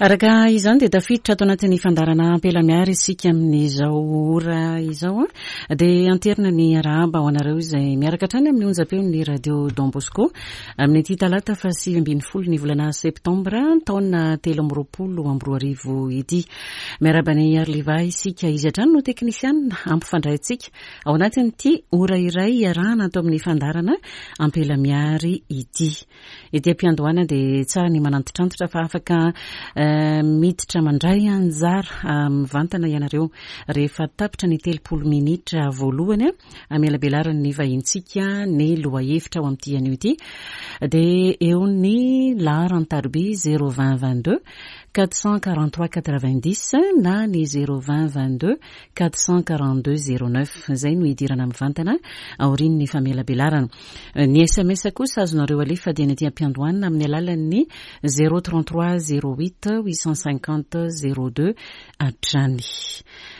Araka izany dia tafiditra ato anatin'ny fandaharana Ampela Miary isika amin'izao ora izao. Dia anterina ny arahaba ho anareo izay miaraka hatrany amin'ny onjam-peon'ny Radio Don Bosco amin'ity talata faha 19 ny volana septambra taona 2023 ity. Miarahaba an'i Arliva isika, izy hatrany no teknisianina hampifandray antsika ao anatin'ity ora iray iarahana ato amin'ny fandaharana Ampela Miary ity. Ety am-piandohana dia tsara ny manantitrantitra fa afaka miditra mandray anjara mivantana ianareo rehefa tapitra ny 30 minitra voalohany amelabelaran'ny vahintsika ny lohahevitra ao amin'ity anio ity dia eo ny laharan-tariby 020 22 443 90 na ny 020 22 442 09 izay no hidirana mivantana aorian'ny famelabelarana. Ny sms kosa azonareo alefa dieny aty am-piandohana amin'ny alalan'ny 033 08 850 02 hatrany.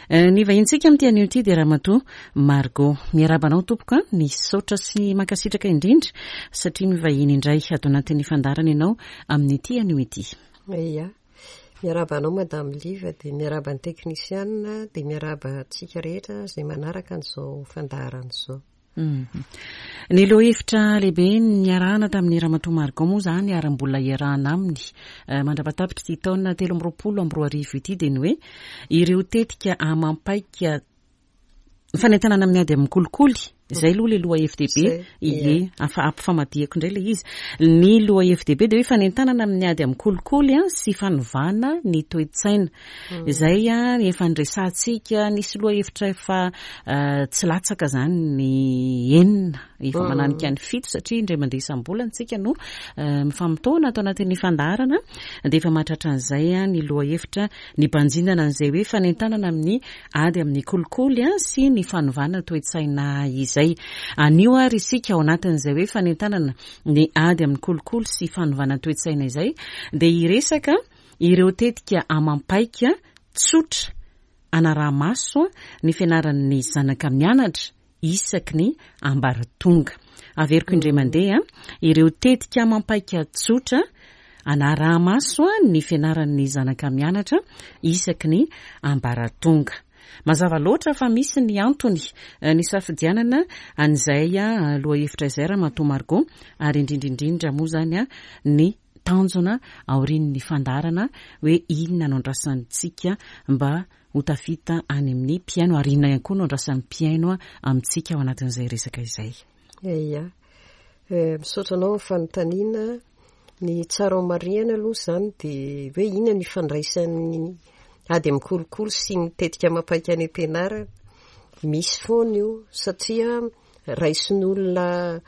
Ny vahintsika amin'ity anio ity dia Ramatoa Margot. Miarahaba anao tompoko a, misaotra sy mankasitraka indrindra satria mivahiny indray ato anatin'ny fandaharana ianao amin'ity anio ity. Ia. Miarahaba anao Madame Liva dia miarahaba ny teknisianina dia miarahaba antsika rehetra izay manaraka an'izao fandaharana izao. Ny lohahevitra lehibe niarahana tamin'ny Ramatoa Margot moa izany ary mbola iarahana aminy mandra-pahatapitr'ity ity taona 2023 ity dia ny hoe ireo tetika amam-paika fanentanana amin'ny ady amin'ny kolikoly. Izay aloha ilay lohahevi-dehibe. Ie, afa ampifamadihako indray ilay izy. Ny lohahevi-dehibe dia hoe fanentanana amin'ny ady amin'ny kolikoly sy fanovana ny toe-tsaina. Izay efa niresahantsika, nisy lohahevitra efa tsy latsaka izany ny enina, efa mananika ny fito satria indray mandeha isam-bolana isika no mifamotoana ato anatin'ny fandaharana dia efa mahatratra an'izay ny lohahevitra nibanjinana an'izay hoe fanentanana amin'ny ady amin'ny kolikoly sy ny fanovana toe-tsaina izay. Anio ary isika ao anatin'izay hoe fanentanana ny ady amin'ny kolikoly sy fanovana toe-tsaina izay dia hiresaka Ireo tetika amam-paika tsotra anaraha-maso ny fianaran'ny zanaka mianatra isaky ny ambaratonga. Averiko indray mandeha, ireo tetika amam-paika tsotra anaraha-maso ny fianaran'ny zanaka mianatra isaky ny ambaratonga. Mazava loatra fa misy ny antony nisafidianana an'izay lohahevitra izay Ramatoa Margot ary indrindra indrindra moa izany ny tanjona aorian'ny fandaharana hoe inona no andrasantsika mba ho tafita any amin'ny mpihaino ary inona ihany koa no andrasan'ny mpihaino amintsika ao anatin'izay resaka izay. Ia. Misaotra anao amin'ny fanontaniana. Ny tsara ho marihana aloha izany dia hoe inona no ifandraisan'ny ady amin'ny kolikoly sy ny tetika amam-paika any am-pianarana. Misy foana io satria raisin'olona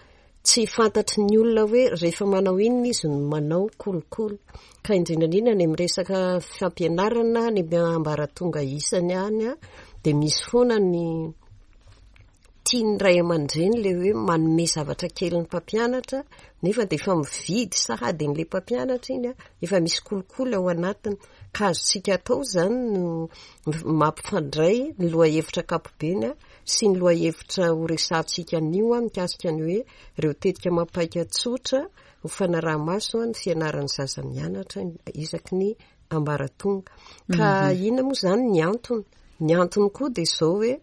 Tsy fantatry ny olona hoe rehefa manao inona izy no manao kolikoly. Ka indrindra indrindra any amin'ny resaka fampianarana any amin'ny ambaratonga isany any dia misy foana ny tian'ny ray aman-dreny ilay hoe manome zavatra kely ny mpampianatra nefa dia efa mividy sahady an'ilay mpampianatra iny, efa misy kolikoly ao anatiny. Ka azontsika atao izany no mampifandray ny lohahevitra ankapobeny sy ny lohahevitra ho resahantsika anio mikasika ny hoe ireo tetika amam-paika tsotra ho fanaraha-maso ny fianaran'ny zaza mianatra isaky ny ambaratonga. Ka inona moa izany ny antony? Ny antony koa dia izao hoe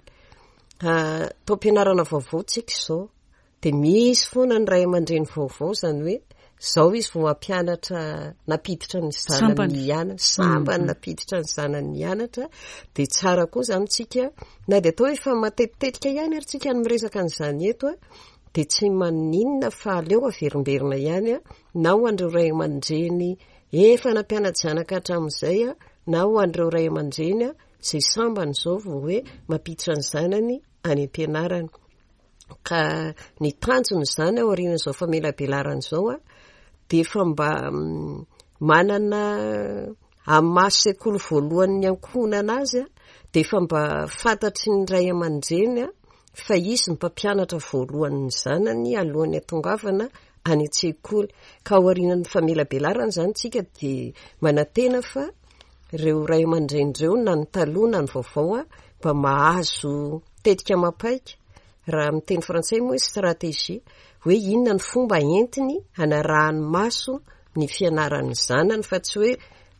taom-pianarana vaovao tsika izao. Dia misy foana ny ray aman-dreny vaovao, izany hoe izao izy vao mampianatra, nampiditra ny zanany hianatra, sambany nampiditra ny zanany hianatra, dia tsara koa izany tsika, na dia atao hoe efa matetitetika ihany ary tsika no miresaka an'izany eto, dia tsy maninona fa aleo averimberina ihany, na ho an'ireo ray aman-dreny efa nampiana-janaka hatramin'izay, na ho an'ireo ray aman-dreny izay sambany izao vao hoe mampiditra ny zanany any am-pianarana. Ka ny tanjona izany aorian'izao famelabelarana izao dia efa mba manana amin'ny maha sekoly voalohan'ny ankohonana azy dia efa mba fantatry ny ray aman-dreny fa izy ny mpampianatra voalohan'ny zanany alohan'ny hatongavana any an-tsekoly. Ka aorian'ny famelabelarana izany tsika dia manantena fa ireo ray aman-dreny ireo na ny taloha na ny vaovao mba mahazo tetika amam-paika, raha amin'ny teny frantsay moa hoe stratégie, hoe inona ny fomba entiny hanarahany maso ny fianaran'ny zanany fa tsy hoe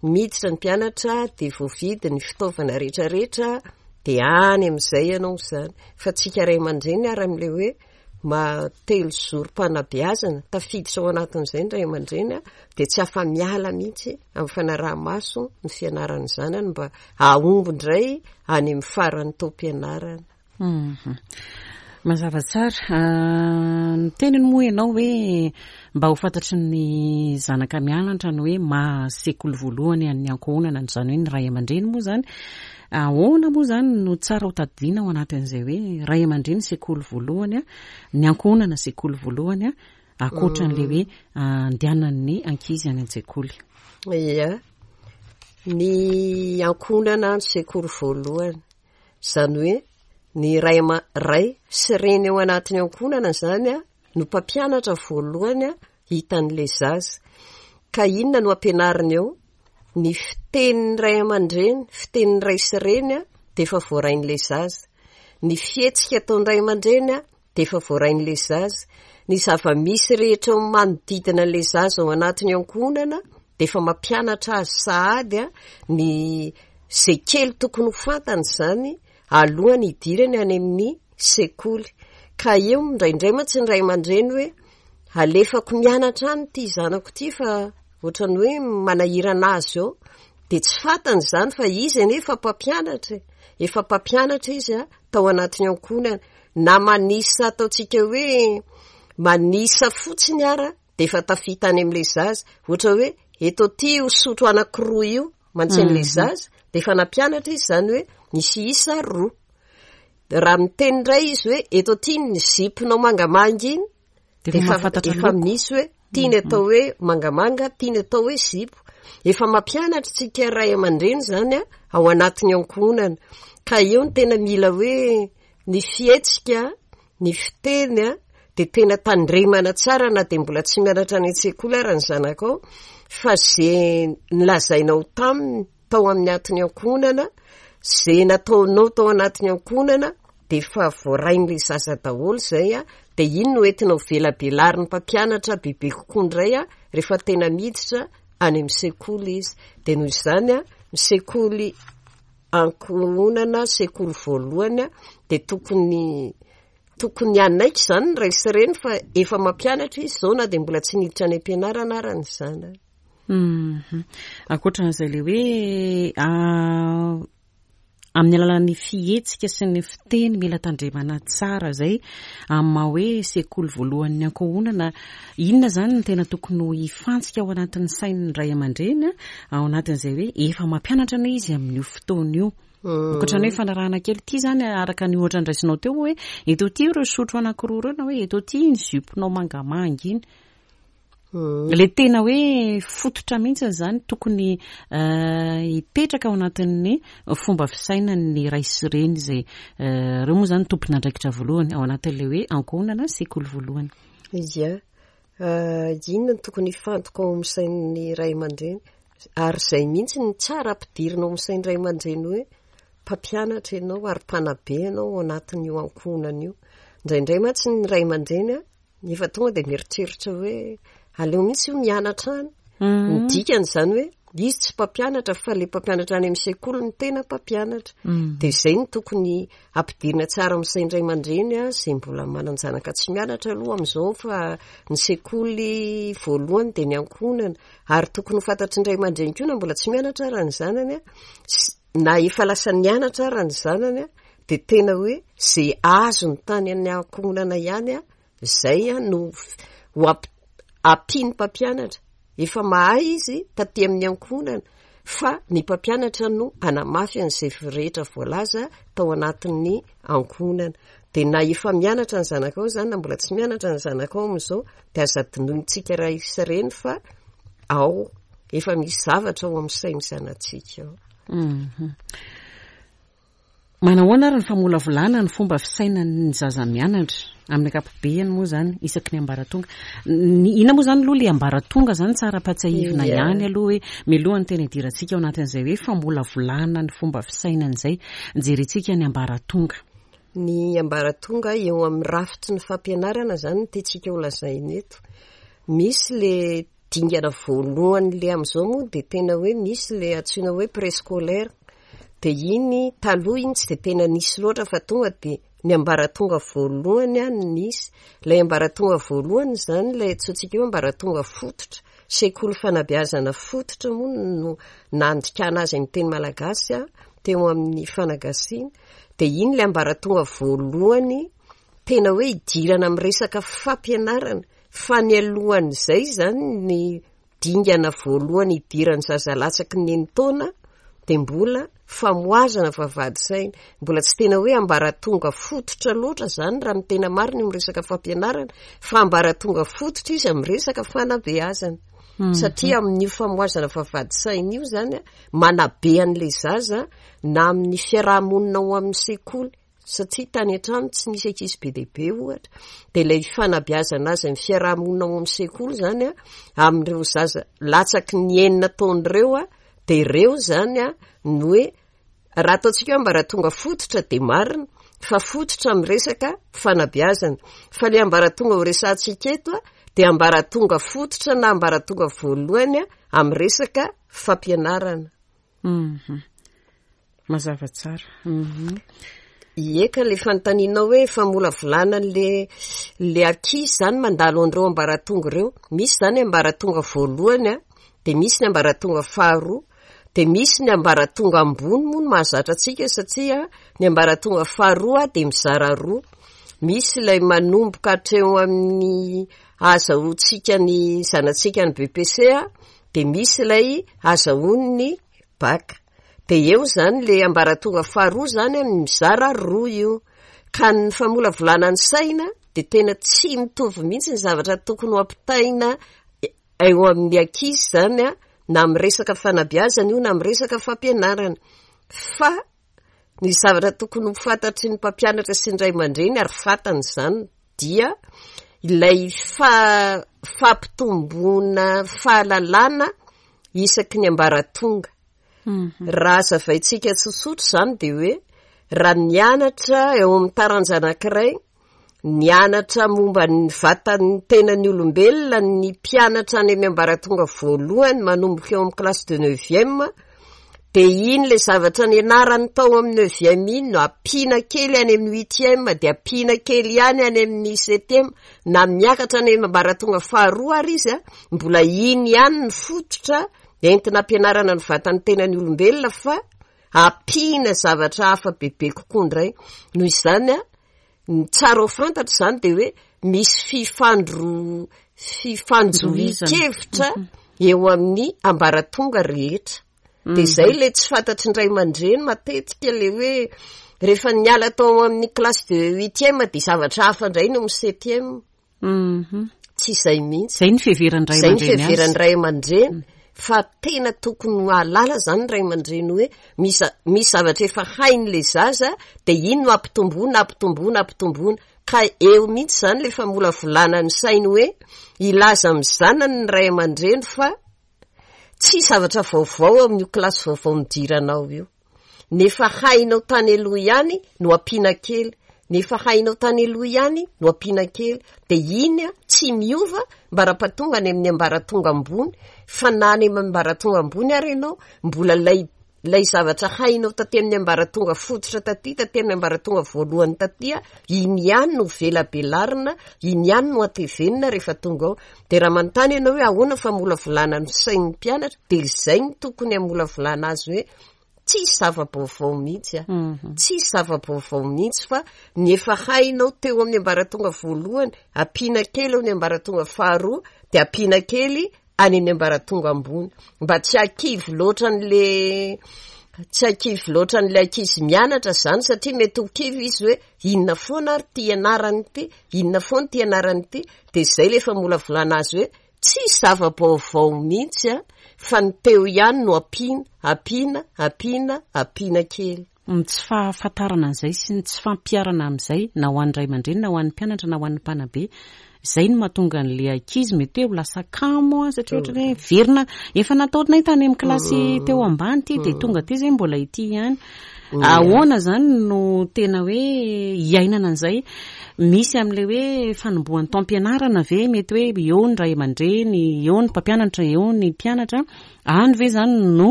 Miditra ny mpianatra dia voavidy ny fitaovana rehetrarehetra dia any amin'izay ianao izany. Fa tsika ray aman-dreny ary amin'ilay hoe maha telozorom-panabeazana, tafiditra ao anatin'izay ny ray aman-dreny dia tsy afa-miala mihitsy amin'ny fanaraha-maso ny fianaran'ny zanany mba hahomby indray any amin'ny faran'ny taom-pianarana. Mhm. Mazava tsara. Ah, niteniny moa ianao hoe mba ho fantatry ny zanaka mianatra ny hoe maha sekoly voalohany an'ny ankohonana, izany hoe ny ray aman-dreny moa izany. Ahoana moa izany no tsara ho tadidiana ao anatin'izay hoe ray aman-dreny sekoly voalohany, ny ankohonana sekoly voalohany, ankoatran'ilay hoe andehanan'ny ankizy any an-tsekoly? Ia, ny ankohonana no sekoly voalohany. Izany hoe ny ray ama- ray sy reny ao anatin'ny ankohonana izany no mpampianatra voalohany hitan'ilay zaza. Ka inona no ampianariny eo? Ny fitenin'ny ray aman-dreny, fitenin'ny ray sy reny dia efa voarain'ilay zaza. Ny fihetsika ataon'ny ray aman-dreny dia efa voarain'ilay zaza. Ny zava-misy rehetra ao manodidina an'ilay zaza ao anatin'ny ankohonana dia efa mampianatra azy sahady ny izay kely tokony ho fantany izany alohan'ny hidirany any amin'ny sekoly. Ka eo indraindray mantsy ny ray aman-dreny hoe alefako mianatra any ity zanako ity fa ohatran'ny hoe manahirana azy eo. Dia tsy fantany izany fa izy anie efa mpampianatra e. Efa mpampianatra izy tao anatin'ny ankohonana. Na manisa ataontsika hoe manisa fotsiny ara dia efa tafita any amin'ilay zaza. Ohatra hoe eto aty io sotro anankiroa io mantsy an'ilay mhm. zaza dia efa nampianatra izy izany hoe misy isa roa. Raha miteny indray izy hoe eto aty ny zipinao mangamanga iny Dia efa mahafantatra efa misy hoe tiany mhm. atao hoe mangamanga, tiany atao hoe zipo. Efa mampianatra tsika ray aman-dreny izany a ao anatin'ny ankohonana. Ka eo ny tena mila hoe ny fihetsika, ny fiteny a, dia tena tandremana tsara na dia mbola tsy mianatra any an-tsekoly ara ny zanakao fa ze nilazainao taminy tao amin'ny atin'ny ankohonana, ze nataonao tao anatin'ny ankohonana dia efa voarain'ilay zaza daholo izay a, dia iny no entina ho velabelarin'ny mpampianatra bebe kokoa indray a, rehefa tena miditra any amin'ny sekoly izy. Dia noho izany a, ny sekoly ankohonana, sekoly voalohany a, dia tokony tokony hanaiky izany ny ray sy reny fa efa mampianatra izy izao na dia mbola tsy niditra any am-pianarana ara ny zanany. Mhm. Ankoatran'izay le hoe ah, amin'ny alalan'ny fihetsika sy ny fiteny mila tandremana tsara zay amin'ny maha hoe sekoly voalohan'ny ankohonana, inona zany no tena tokony ho hifantsika ao anatin'ny sain'ny ray aman-dreny ao anatin'izay hoe efa mampianatra anie izy amin'io fotoana io. Ankoatra ny hoe fanarahana kely ity zany araka ny ohatra ndraisinao teo hoe eto ity ireo sotro anankiroa ireo na hoe eto ity iny jupe-nao mangamanga iny. Le tena hoe fototra mihitsy izany tokony hipetraka ao anatin'ny fomba fisainan'ny ray sy reny izay ireo moa izany tompon'andraikitra voalohany ao anatin'ilay hoe ankohonana sekoly voalohany. Ia. Inona no tokony hifantoka ao amin'ny sain'ny ray aman-dreny? Ary izay mihitsy no tsara ampidirina ao amin'ny sain'ny ray aman-dreny hoe mpampianatra ianao ary mpanabe ianao ao anatin'io ankohonana io. Indraindray mantsy ny ray aman-dreny Efa tonga dia mieritreritra hoe aleo mihitsy io mianatra any. Mm. Ny dikany izany hoe izy tsy mpampianatra fa le mpampianatra any amin'ny sekoly no tena mpampianatra. Mm. Dia izay no tokony ampidirina tsara amin'ny sain'ny ray aman-dreny a, izay mbola manan-janaka tsy mianatra aloha amin'izao fa ny sekoly voalohany dia ny ankohonana. Ary tokony ho fantatry ny ray aman-dreny koa na mbola tsy mianatra ara ny zanany a, na efa lasa nianatra ara ny zanany a, dia tena hoe izay azony tany amin'ny ankohonana ihany a, izay no ho ampian'ny mpampianatra. Efa mahay izy taty amin'ny ankohonana fa ny mpampianatra no hanamafy an'izay rehetra voalaza tao anatin'ny ankohonana. Dia na efa mianatra ny zanakao izany na mbola tsy mianatra ny zanakao amin'izao dia aza adinointsika ray sy reny fa ao efa misy zavatra ao amin'ny sain'ny zanatsika ao. Mhm. Manahoana ary ny famolavolana ny fomba fisainan'ny zaza mianatra amin'ny ankapobeny moa izany isaky ny ambaratonga? Ny inona moa izany aloha ilay ambaratonga izany tsara ampahatsiahivina ihany aloha hoe mialohan'ny tena hidirantsika ao anatin'izay hoe famolavolana ny fomba fisainana izay, jerentsika ny ambaratonga. Ny ambaratonga eo amin'ny rafitry ny fampianarana izany no tiantsika ho lazaina eto. Misy le. dingana voalohany le amin'izao moa dia tena hoe misy le antsoina hoe préscolaire. Dia iny taloha iny tsy dia tena nisy loatra fa tonga dia ny ambaratonga voalohany no nisy. Ilay ambaratonga voalohany izany ilay antsointsika hoe ambaratonga fototra, sekoly fanabeazana fototra moa no nandikana azy amin'ny teny malagasy teo amin'ny fanagasiana. Dia iny ilay ambaratonga voalohany tena hoe idirana amin'ny resaka fampianarana fa ny alohan'izay izany ny dingana voalohany idiran'ny zaza latsaky ny enin-taona dia mbola famohazana vavahady saina. Mbola tsy tena hoe ambaratonga fototra loatra izany raha ny tena marina io miresaka fampianarana fa ambaratonga fototra izy amin'ny resaka fanabeazana. Satria amin'io famohazana vavahady saina io izany manabe an'ilay zaza na amin'ny fiaraha-monina ao amin'ny sekoly satria tany an-trano tsy nisy ankizy be dia be ohatra, dia ilay fanabeazana azy amin'ny fiaraha-monina ao amin'ny sekoly izany an, amin'ireo zaza latsaky ny enina taona ireo an, dia ireo izany an no hoe raha ataontsika hoe ambaratonga fototra dia marina fa fototra amin'ny resaka fanabeazana, fa ilay ambaratonga ho resahantsika eto an dia ambaratonga fototra na ambaratonga voalohany an amin'ny resaka fampianarana. Mhm. Mazava tsara. Mhm. Ie ka le fanontanianao hoe famolavolana an'le le ankizy zany mandalo an'ireo ambaratonga ireo. Misy zany ambaratonga voalohany a, de misy ny ambaratonga faharoa, de misy ny ambaratonga ambony moa no mahazatra antsika satria ny ambaratonga faharoa de mizara roa. Misy ilay manomboka hatreo amin'ny ahazahoantsika ny zanatsika ny BEPC a, Dia misy ilay azahoany ny bac. Dia eo izany ilay ambaratonga faharoa izany amin'ny mizara roa io. Ka ny famolavolana ny saina dia tena tsy mitovy mihitsy ny zavatra tokony ho ampitaina eo amin'ny ankizy izany an, na amin'ny resaka fanabeazana io na amin'ny resaka fampianarana. Fa ny zavatra tokony ho fantatry ny mpampianatra sy ny ray aman-dreny ary fantany izany dia ilay fa- fampitomboana fahalalana isaky ny ambaratonga. Raha hazavaintsika tsotsotra izany dia hoe raha mianatra eo amin'ny taranja anankiray Nianatra momba ny vatan'ny tenan'ny olombelona ny mpianatra any amin'ny ambaratonga voalohany manomboka eo amin'ny classe de neuvième, dia iny ilay zavatra nianarany tao amin'ny neuvième iny no ampiana kely any amin'ny huitième, dia ampiana kely ihany any amin'ny septième, na miakatra any amin'ny ambaratonga faharoa ary izy an, mbola iny ihany ny fototra entina ampianarana ny vatan'ny tenan'ny olombelona fa ampiana zavatra hafa bebe kokoa indray. Noho izany an, Ny tsara ho fantatra izany dia hoe misy fifandro- fifanjohian-kevitra eo amin'ny ambaratonga rehetra. Dia izay ilay tsy fantatry ny ray aman-dreny matetika ilay hoe rehefa niala tao amin'ny classe de huitième dia zavatra hafa indray no amin'ny septième. Mhm. Tsy izay mihitsy. Izay ny fiheveran'ny ray Izay ny aman-dreny azy. fiheveran'ny ray aman-dreny fa tena tokony ho hahalala izany ny ray aman-dreny hoe misy misy zavatra efa hain'ilay zaza dia iny no ampitomboina, ampitomboina, ampitomboina. Ka eo mihitsy izany ilay famolavolana ny sainy hoe hilaza amin'ny zanany ny ray aman-dreny fa Tsy zavatra vaovao amin'io kilasy vaovao nidiranao io. Ny efa hainao tany aloha ihany no ampiana kely, ny efa hainao tany aloha ihany no ampiana kely. Dia iny tsy miova mbara-pahatonga any amin'ny ambaratonga ambony, fa na any amin'ny ambaratonga ambony ary ianao mbola ilay Ilay zavatra hainao taty amin'ny ambaratonga fototra taty, taty amin'ny ambaratonga voalohany taty, iny ihany no velabelarina, iny ihany no atevenina rehefa tonga ao. Dia raha manontany ianao hoe ahoana famolavolana ny sain'ny mpianatra, dia izay no tokony hamolavolana azy hoe tsisy zava-baovao mihitsy a. Mhm. Tsisy zava-baovao mihitsy fa ny efa hainao teo amin'ny ambaratonga voalohany, ampiana kely eo amin'ny ambaratonga faharoa, dia ampiana kely any amin'ny ambaratonga ambony mba tsy hakivy loatra an'le tsy hakivy loatra an'le ankizy mianatra zany satria mety ho kivy izy hoe inona foana ary ty ianarany ity, inona foana ty ianarany ity, de zay le famolavolana azy hoe tsisy zava-baovao mihitsy a, fa ny teo ihany no ampiana, ampiana, ampiana, ampiana kely. Ny tsy fahafantarana an'izay sy ny tsy fampiharana amin'izay na ho an'ny ray aman-dreny na ho an'ny mpianatra na ho an'ny mpanabe, izay no mahatonga an'ilay ankizy mety hoe ho lasa kamo satria ohatra hoe verina efa nataonay tany amin'ny kilasy teo ambany ity dia tonga aty izay mbola ity ihany. Ahoana izany no tena hoe iainana an'izay? Misy amin'ilay hoe fanombohan'ny taom-pianarana ve mety hoe eo ny ray aman-dreny, eo ny mpampianatra, eo ny mpianatra, any ve izany no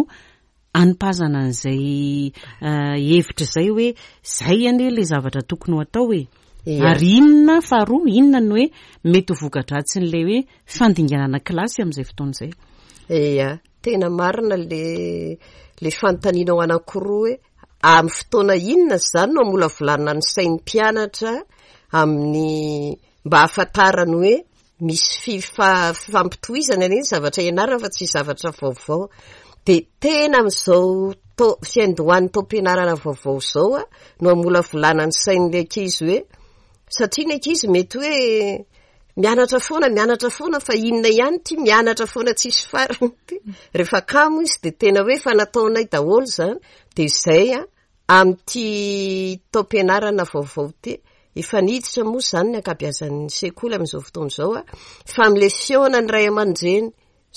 anipazana an'izay hevitra izay hoe izay anie ilay zavatra tokony ho atao e? Ary inona, faharoa, inona no hoe mety ho voka-dratsin'ilay hoe fandinganana kilasy amin'izay fotoana izay? Ia. Tena marina le le fanontanianao anankiroa hoe amin'ny fotoana inona izany no hamolavolana ny sain'ny mpianatra amin'ny mba hahafantarany hoe misy fifa- fifampitohizana anie ny zavatra ianarana fa tsy zavatra vaovao. De tena amin'izao tao- fiandohan'ny taom-pianarana vaovao izao a no hamolavolana ny sain'ilay ankizy hoe satria ny ankizy mety hoe Mianatra foana, mianatra foana fa inona ihany ity mianatra foana tsisy farany ity. Rehefa kamo izy dia tena hoe efa nataonay daholo izany. Dia izay an, amin'ity taom-pianarana vaovao ity, efa niditra moa izany ny ankabeazan'ny sekoly amin'izao fotoana izao an, fa amin'ilay fihaonan'ny ray aman-dreny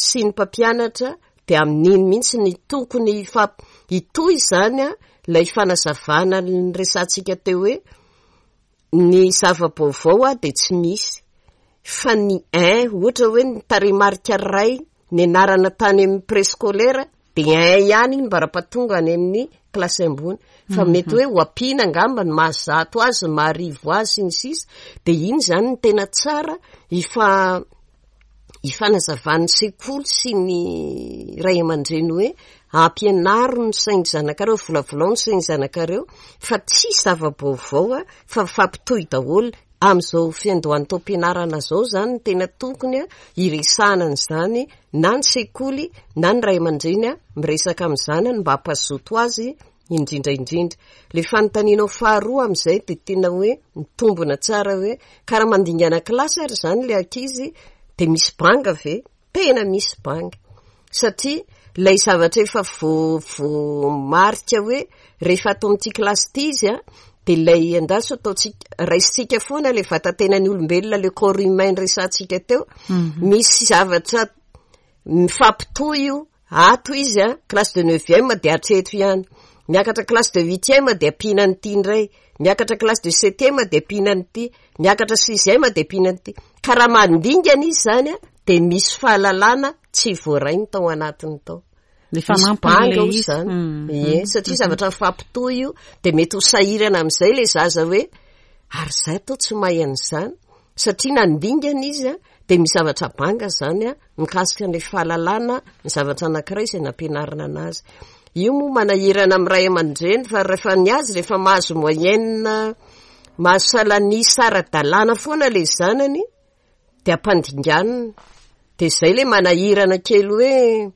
sy ny mpampianatra dia amin'iny mihitsy ny tokony hitohy izany an, ilay fanazavana niresahantsika teo hoe Ny zava-baovao dia tsy misy fa ny un ohatra hoe ny tarehimarika iray nianarana tany amin'ny préscolaire dia un ihany iny mbara-pahatonga any amin'ny kilasy ambony fa mety hoe ho ampiana angamba ny mahazato azy, ny maharivo azy sy ny sisa dia iny izany no tena tsara ifa- ifanazavan'ny sekoly sy ny ray aman-dreny hoe ampianaro ny sain'ny zanakareo, volavolao ny sain'ny zanakareo fa tsisy zava-baovao fa mifampitohy daholo. Amin'izao fiandohan'ny taom-pianarana izao izany no tena tokony hiresahana an'izany na ny sekoly na ny ray aman-dreny miresaka amin'ny zanany mba hampazoto azy indrindra indrindra. Ilay fanontanianao faharoa amin'izay dia tena hoe mitombina tsara hoe ka raha mandingana kilasy ary izany ilay ankizy dia misy banga ve? Tena misy banga. Satria ilay zavatra efa voamarika hoe rehefa ato amin'ity kilasy ity izy an, dia ilay andraso ataontsika, raisintsika foana ilay vatan-tenan'ny olombelona, le corps humain resahantsika teo, misy zavatra mifampitohy io Ato izy a, classe de neuvième dia hatreto ihany. Miakatra classe de huitième dia ampiana an'ity indray. Miakatra classe de septième dia ampiana an'ity. Miakatra sixième dia ampiana an'ity. Ka raha mandingana izy izany a, dia misy fahalalana tsy voarainy tao anatiny tao. Misy banga ao izany. Ie, satria zavatra mifampitohy io, dia mety ho sahirana amin'izay ilay zaza hoe, ary izaho toa tsy mahay an'izany. Satria nandingana izy a, dia misy zavatra banga izany a, mikasika an'ilay fahalalana ny zavatra anankiray izay nampianarina anazy. Io moa manahirana amin'ny ray aman-dreny fa rehefa ny azy rehefa mahazo moyenne, mahazo salan'isa ara-dalàna foana ilay zanany dia ampandinganina. Dia izay ilay manahirana kely hoe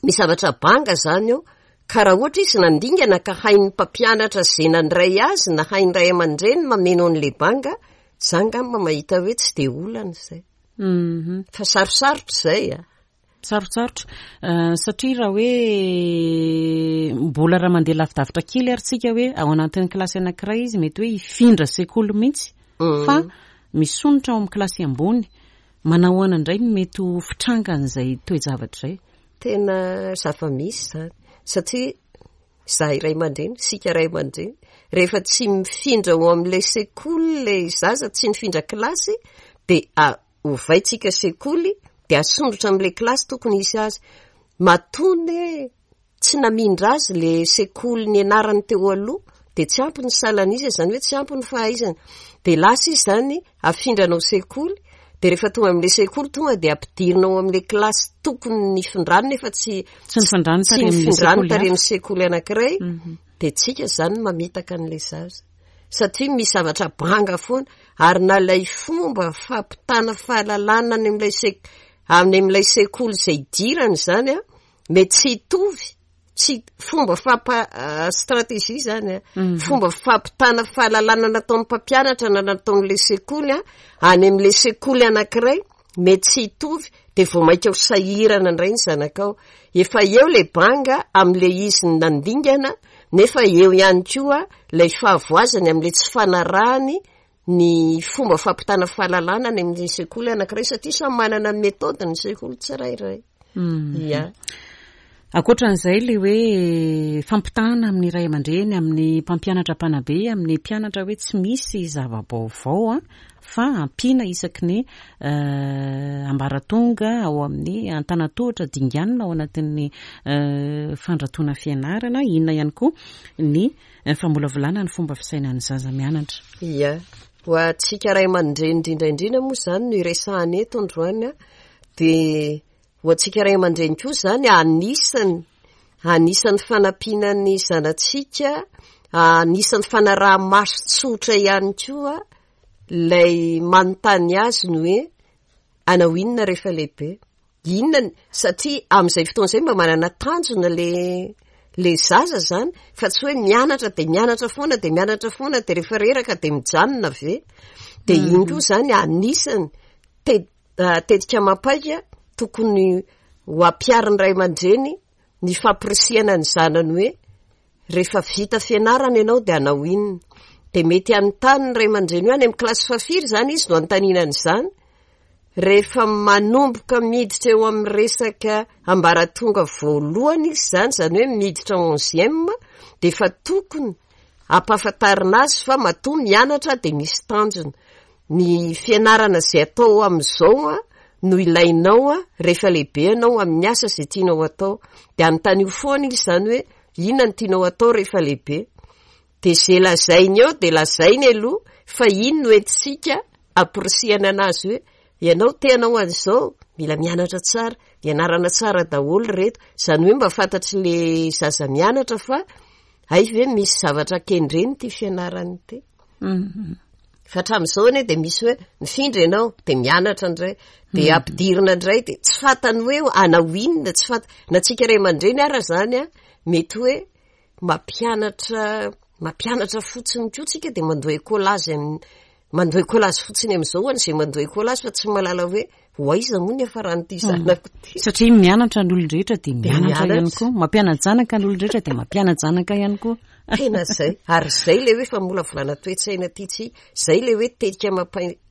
misy zavatra banga izany eo ka raha ohatra izy nandingana ka hain'ny mpampianatra izay nandray azy na hain'ny ray aman-dreny mameno an'ilay banga, za angamba mahita hoe tsy dia olana izay. Fa sarosarotra izay a! Sarotsarotra satria raha hoe mbola raha mandeha lavidavitra kely ary tsika hoe ao anatin'ny kilasy anankiray izy mety hoe hifindra sekoly mihitsy fa misonitra ao amin'ny kilasy ambony. Manao ahoana indray ny mety ho fitrangan'izay toe-javatra izay? Tena zava-misy izany satria izahay ray aman-dreny, isika ray aman-dreny, rehefa tsy mifindra ao amin'ilay sekoly ilay zaza, tsy nifindra kilasy dia ovaintsika sekoly dia asondrotra amin'ilay kilasy tokony hisy azy. Matoa anie tsy namindra azy le sekoly nianarany teo aloha dia tsy ampy ny salan'isa, izany hoe tsy ampy ny fahaizany. Dia lasa izy izany afindranao sekoly, dia rehefa tonga amin'ilay sekoly tonga dia ampidirina ao amin'ilay kilasy tokony nifindrany nefa tsy Tsy nifindrany tsy tary amin'ilay nifindrany sekoly tary hafa. amin'ny sekoly anankiray, dia tsika izany mamitaka an'ilay zaza. Satria misy zavatra banga foana, ary na ilay fomba fampitana fahalalana any amin'ilay sek-, any amin'ilay sekoly izay idirany izany an, mety tsy hitovy, tsy fomba fampa stratégie zany a, mhm. fomba fampitana fahalalana nataon'ny mpampianatra na nataon'le sekoly a, any amin'le sekoly anankiray mety tsy hitovy de vao mainka ho sahirana indray ny zanakao. Efa eo le banga amin'le izy nandingana nefa eo ihany koa ilay fahavoazany amin'le tsy fanarahany ny fomba fampitana fahalalana any amin'ny sekoly anankiray satria samy manana ny méthode ny sekoly tsirairay. Mhm. Ya. Ankoatran'izay ilay hoe fampitahana amin'ny ray aman-dreny, amin'ny mpampianatra mpanabe, amin'ny mpianatra hoe tsy misy zava-baovao fa ampiana isaky ny ambaratonga ao amin'ny antanantohatra dinganina ao anatin'ny fandratoana fianarana. Inona ihany koa ny famolavolana ny fomba fisainan'ny zaza mianatra. Ia. Ho antsika ray aman-dreny indrindra indrindra moa izany no iresahana eto androany dia Ho antsika ray aman-dreny koa izany, anisan'ny, anisan'ny fanampiana ny zanatsika, anisan'ny fanaraha-maso tsotra ihany koa ilay manontany azy ny hoe hanao inona rehefa lehibe? Inona ny, satria amin'izay fotoana izay mba manana tanjona le le zaza izany fa tsy hoe mianatra dia mianatra foana dia mianatra foana dia rehefa reraka dia mijanona ve? Dia iny koa izany anisan'ny te- Tetika amam-paika tokony ho ampiharin'ny ray aman-dreny ny fampirisihana ny zanany hoe rehefa vita fianarana ianao dia hanao inona. Dia mety hanontany ny ray aman-dreny hoe any amin'ny kilasy fahafiry izany izy no hanontaniana an'izany. Rehefa manomboka miditra eo amin'ny resaka ambaratonga voalohany izy izany, izany hoe miditra onzième, dia efa tokony hampahafantarina azy fa matoa mianatra dia misy tanjona. Ny fianarana izay atao amin'izao no ilainao rehefa lehibe ianao amin'ny asa izay tianao atao. Dia anontanio foana izy izany hoe inona no tianao atao rehefa lehibe. Dia izay lazainy eo dia lazainy aloha fa iny no entintsika amporisihana anazy hoe ianao te hanao an'izao, mila mianatra tsara, ianarana tsara daholo ireto. Izany hoe mba fantatr'ilay zaza mianatra fa hay ve misy zavatra kendreny ity fianarana ity. Fa hatramin'izao anie dia misy hoe mifindra ianao dia mianatra indray, dia mhm. ampidirina indray dia tsy fantany hoe hanao inona, tsy fanta na tsika ray aman-dreny ara izany an, mety hoe mampianatra mampianatra fotsiny koa tsika dia mandoa écolage amin'ny mandoa écolage fotsiny amin'izao ho an'izay mandoa écolage fa tsy mahalala hoe ho aiza moa ny hafaran'ity mhm. zanako ity. Satria mianatra ny olon-drehetra dia mianatra ihany koa, mampiana-janaka ny olon-drehetra dia mampiana-janaka ihany koa. Tena zay. Ary zay le hoe famolavolana toe-tsaina tiantsika, zay le hoe tetika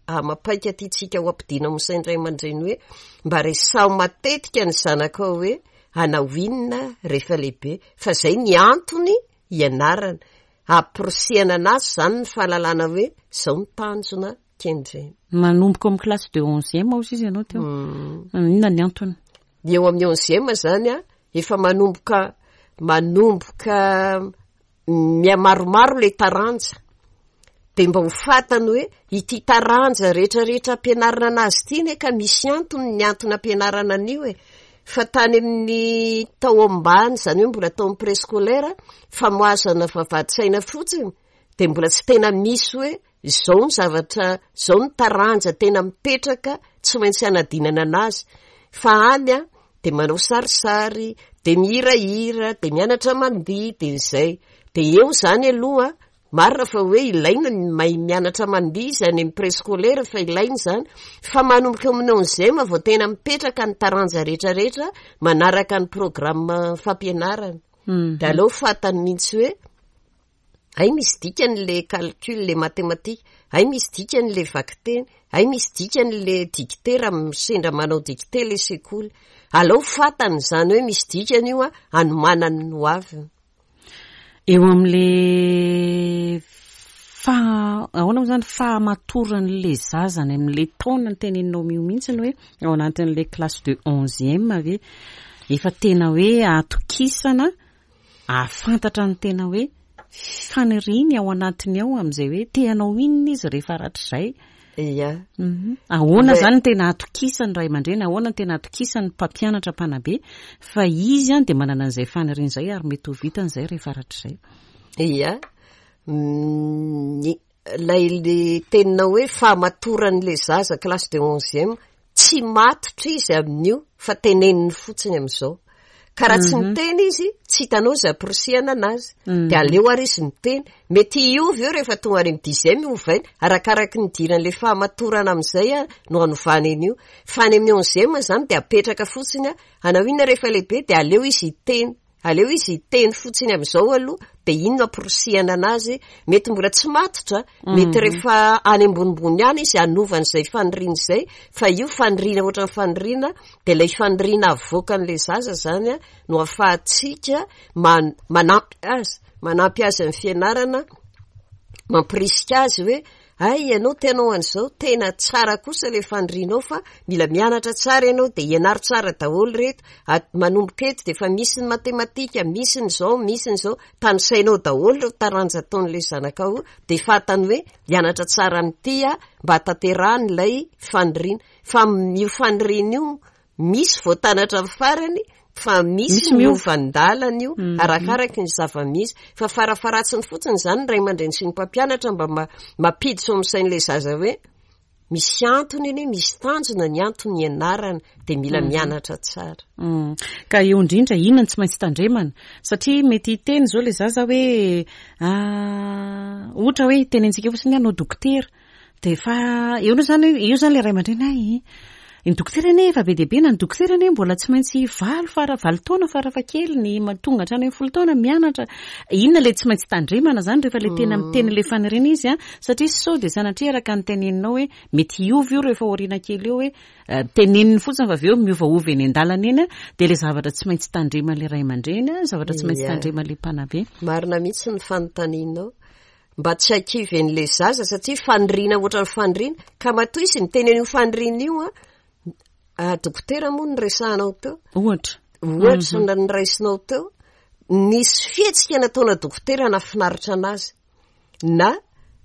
amam-paika tiantsika ho ampidina amin'ny sain'ny ray aman-dreny hoe mba resaho matetika ny zanakao hoe hanao inona rehefa lehibe fa zay ny antony hianarana. Hamporisihana anazy zany ny fahalalana hoe zao ny tanjona kendrena. Manomboka ao amin'ny classe de onzième hozy izy ianao teo. Inona ny antony? Ny eo amin'ny onzième zany an, efa manomboka manomboka mihamaromaro le taranja. De mba ho fantany hoe ity taranja rehetrarehetra ampianarina anazy ity ne ka misy antony ny antony ampianarana an'io e. Fa tany amin'ny tao ambany, izany hoe mbola tao amin'ny préscolaire, famoazana vavahadin-tsaina fotsiny, de mbola tsy tena misy hoe Izao ny zavatra, izao ny taranja tena mipetraka tsy maintsy hanadinana anazy. Fa any an, dia manao sarisary, dia mihirahira, dia mianatra mandihy, dia izay. Dia eo izany aloha, marina fa hoe ilaina ny mahay mianatra mandihy izy any amin'ny préscolaire fa ilaina izany. Fa manomboka eo amin'ny onzième vao tena mipetraka ny taranja rehetrarehetra manaraka ny programme fampianarana. Dia aleo fantany mihitsy hoe Hay misy dikany le calcul, le mathématique, hay misy dikany le vakiteny, hay misy dikany le dictée raha sendra manao dictée le sekoly. Alao fantany izany hoe misy dikany io hanomanany ny ho aviny. Eo amin'le faha, ahoana moa izany, fahamatoran'le zaza any amin'le taona teneninao io mihitsy ny hoe ao anatin'le classe de onzième ve efa tena hoe atokisana Hahafantatra ny tena hoe faniriany ao anatiny ao amin'izay hoe te hanao inona izy rehefa rahatrizay. Ia. Mhm. Ahoana izany no tena atokisan'ny ray aman-dreny, ahoana no tena atokisan'ny mpampianatra mpanabe fa izy an dia manana an'izay faniriana izay ary mety ho vitany izay rehefa rahatrizay. Ia. Ny ilay le teninao hoe fahamatoran'ilay zaza classe de onzième, tsy matotra izy amin'io fa teneniny fotsiny amin'izao. Ka raha tsy mhm. miteny izy, tsy hitanao izay ampirisihana anazy. Mhm. Dia aleo ary izy miteny. Mety hiova eo rehefa tonga any amin'ny dixième ovaina, arakaraky ny idiran'ilay fahamatorana amin'izay no hanovana an'io. Fa any amin'ny onzième izany dia apetraka fotsiny, hanao inona rehefa lehibe dia aleo izy hiteny. Aleo izy hiteny fotsiny amin'izao aloha dia iny no amporisihana anazy. Mety mbola tsy matotra, mety rehefa any ambonimbony any izy hanova an'izay faniriana izay, fa io faniriana ohatran'ny faniriana dia ilay faniriana avoakan'ilay zaza izany no ahafahantsika manampy azy, manampy azy amin'ny fianarana, mampirisika azy hoe Hay ianao te hanao an'izao, tena tsara kosa ilay fanirianao fa mila mianatra tsara ianao dia ianaro tsara daholo ireto, manomboka eto dia efa misy ny matematika, misy ny izao, misy ny izao, tanisainao daholo ireo taranja ataon'ilay zanakao dia fantany hoe hianatra tsara an'ity aho mba hahatanterahany ilay faniriana. Fa io faniriana io Misy voatanatra amin'ny farany fa misy miova an-dalana io mhm. arakaraky ny zava-misy. Fa farafaharatsiny fotsiny izany ny ray aman-dreny sy ny mpampianatra mba mampiditra ao amin'ny sain'ilay zaza hoe misy antony anie, misy tanjona ny antony ianarana dia mila mhm. mianatra tsara. Mm. Ka eo indrindra inona no tsy maintsy tandremana? Satria mety hiteny izao ilay zaza hoe ah, ohatra hoe tenentsika fotsiny hoe hanao dokotera. Dia efa eo aloha izany, eo izany ilay ray aman-dreny hay, ny dokotera anie efa be dia be na ny dokotera anie mbola tsy maintsy valo fara valo taona farafahakeliny, tonga hatrany amin'ny folo taona mianatra. Inona ilay tsy maintsy tandremana izany rehefa ilay tena miteny ilay faniriana izy an, satria sao dia sanatria araka ny teneninao hoe mety hiova io rehefa aoriana kely eo hoe teneniny fotsiny fa avy eo miovaova eny an-dalana eny an, dia ilay zavatra tsy maintsy tandreman'ilay ray aman-dreny an, zavatra tsy maintsy tandreman'ilay mpanabe. Marina mihitsy ny fanontanianao. Mba tsy hakivy an'ilay zaza satria faniriana ohatran'ny faniriana ka matoa izy niteny an'io faniriana io an, ah, dokotera moa no resahanao teo. Ohatra. Ohatra mm -hmm. niraisinao teo. Nisy fihetsika nataona dokotera nahafinaritra anazy. Na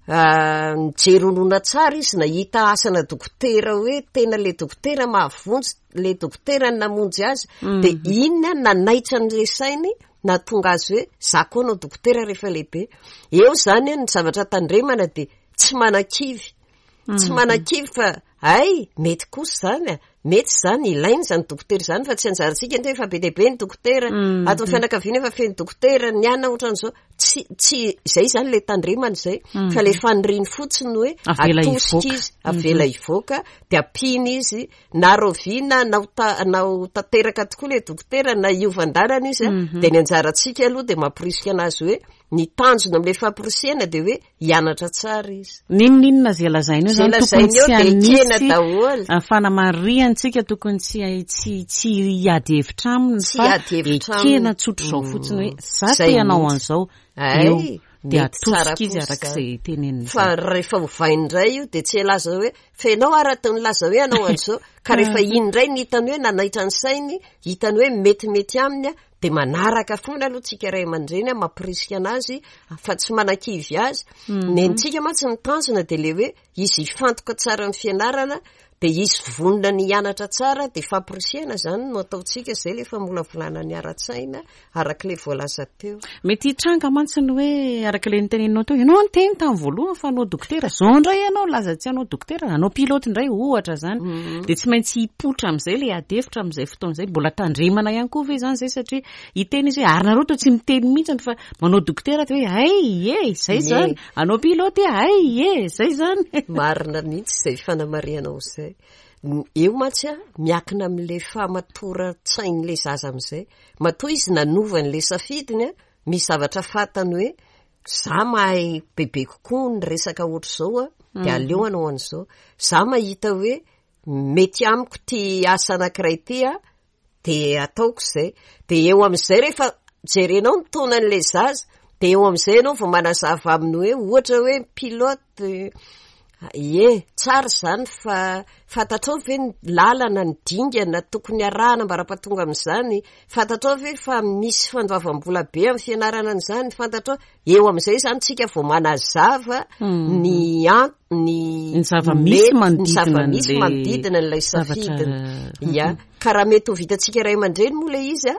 ah, nijery horonan-tsary izy nahita asana dokotera hoe tena le dokotera mahavonjy, le dokotera namonjy azy. Mm -hmm. Dia iny nanaitra an'ilay sainy nahatonga azy hoe za koa hanao dokotera rehefa lehibe. Eo zany ny zavatra tandremana dia tsy manakivy. Tsy mhm. manakivy fa hay mety kosa zany a, mety zany ilaina izany dokotera izany fa tsy anjarantsika ny efa be dia be ny dokotera, mhm. ato amin'ny fianakaviana efa feno dokotera, ny anona ohatran'izao. Tsy tsy izay zany le tandremana izay mhm. fa le faniriany fotsiny hoe atosika izy, avela hivoaka dia ampiana izy Na rahoviana na ho ta- na ho tanteraka tokoa ilay dokotera na hiova an-dalana izy a, mhm. dia ny anjarantsika aloha dia mamporisika anazy hoe ny tanjona amin'ilay famporisihana dia hoe hianatra tsara izy. N'inon'inona izay lazaina eo zany tokony tsy hanisy daholo. Fanamarihantsika tokony tsy tsy tsy hiady hevitra aminy fa ekena tsotra izao mm. fotsiny hoe za te hanao an'izao. Ay. Dia atosika izy araka izay teneniny. Fa rehefa ovainy indray io dia tsy hilaza hoe fa ianao ary atao nilaza hoe hanao an'izao ka rehefa iny indray ny hitany hoe nanaitra ny sainy, hitany hoe metimety aminy dia manaraka foana aloha tsika ray aman-dreny mampirisika anazy fa tsy manakivy azy. Mhm. Nentsika mantsy ny tanjona dia le hoe izy hifantoka tsara amin'ny fianarana dia izy vonona ny hianatra tsara dia fampirisihana izany no ataontsika, izay ilay famolavolana ny ara-tsaina araka ilay voalaza teo. Mety hitranga mantsy ny hoe araka ilay noteneninao teo, ianao niteny tamin'ny voalohany fa hanao dokotera, izao indray ianao nilaza tsy hanao dokotera, hanao pilote indray ohatra izany. Mm. Dia tsy maintsy hipoitra amin'izay ilay ady hevitra amin'izay fotoana izay. Mbola tandremana ihany koa ve izany izay satria hiteny izy hoe ary nareo toa tsy miteny mihitsy fa manao dokotera dia hoe hay e, izay izany. Anao pilote hay e, zay zany. Marina mihitsy izay fanamarihanao izay. Eo mantsy a, miakina amin'ilay fahamatoran-tsain'ilay zaza amin'izay. Matoa izy nanova an'ilay safidiny a, misy zavatra fantany hoe za mahay bebe kokoa ny resaka ohatr'izao a, dia mhm. aleo hanao an'izao. Za mahita hoe mety amiko ity asa anankiray ity a, Dia ataoko izay. Dia eo amin'izay rehefa jerenao ny taonan'ilay zaza, dia eo amin'izay ianao vao manazava aminy hoe ohatra hoe pilote, ie, tsara izany fa fantatrao ve ny lalana, ny dingana tokony arahana ambara-pahatonga amin'izany? Fantatrao ve fa misy fandoavam-bola be amin'ny fianarana an'izany? Fantatrao? Eo amin'izay izany tsika vao manazava mhm. ny an ny ny zava-misy manodidina manodidina an'ilay safidiny. Ya, mhm. ka raha mety ho vitantsika ray aman-dreny moa ilay izy a,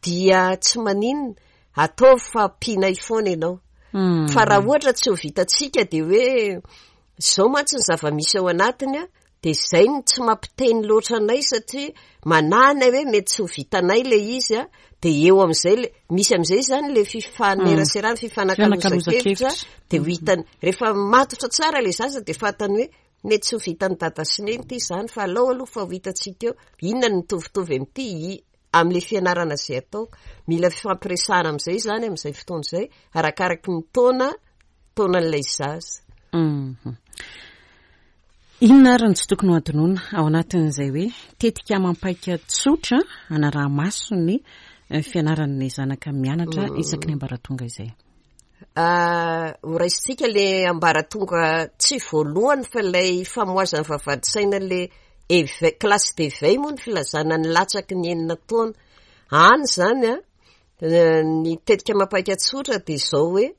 dia tsy maninona, ataovy fa ampianay foana ianao. Mhm. Fa raha ohatra tsy ho vitantsika dia hoe izao mantsy ny zava-misy ao anatiny a, Dia izay no tsy mampiteny loatra anay satria manahy anay hoe mety tsy ho vitanay ilay izy a, dia eo amin'izay ilay, misy amin'izay izany ilay fifaneraserana, fifanakalozan-kevitra, dia ho hitany, rehefa matotra tsara ilay zaza dia fantany hoe mety tsy ho vitan'i dada sy neny ity izany fa alao aloha fa ho hitantsika eo, inona no mitovitovy amin'ity, i. amin'ilay fianarana izay ataoko. Mila fifampiresahana amin'izay izany amin'izay fotoana izay, arakaraky ny taona, taonan'ilay zaza. Mhm. Inona ary no tsy tokony ho adinoina ao anatin'izay hoe tetika amam-paika tsotra hanaraha-maso ny fianaran'ny zanaka mianatra isaky ny ambaratonga izay? Ho raisintsika le ambaratonga tsy voalohany fa ilay famohazana vavahadin-tsaina le éveil, classe d'éveil moa ny filazana ny latsaky ny enina taona. Any izany an, ny tetika mampaika tsotra dia izao hoe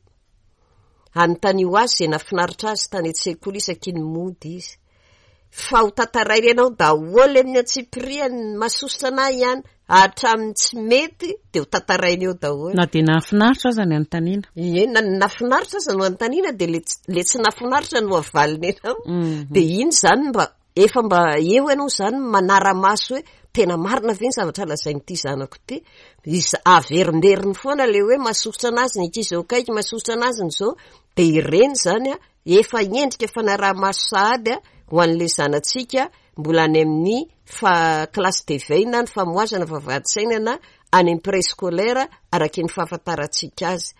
anontanio azy izay nahafinaritra azy tany an-tsekoly isaky ny mody izy. Fa ho tantaraina ianao daholo amin'ny antsipiriany, ny mahasosotra anah ihany, hatramin'ny tsy mety dia ho tantaraina eo daholo. Na dia nahafinaritra aza ny anontaniana. Ie, na ny nahafinaritra aza no anontaniana dia le tsy, le tsy nahafinaritra no avaliny anao. Dia iny izany mba, efa mba eo ianao izany manara-maso hoe tena marina ve ny zavatra lazain'ity zanako ity. Iza-, averimberiny foana ilay hoe mahasosotra an'azy ny ankizy eo akaiky, mahasosotra an'azy ny izao, dia ireny izany an, Efa endrika fanaraha-maso sahady ho an'ilay zanatsika mbola any amin'ny fa classe d'éveil na ny famohazana vavahadin-tsaina na any amin'ny préscolaire araky ny fahafantarantsika azy.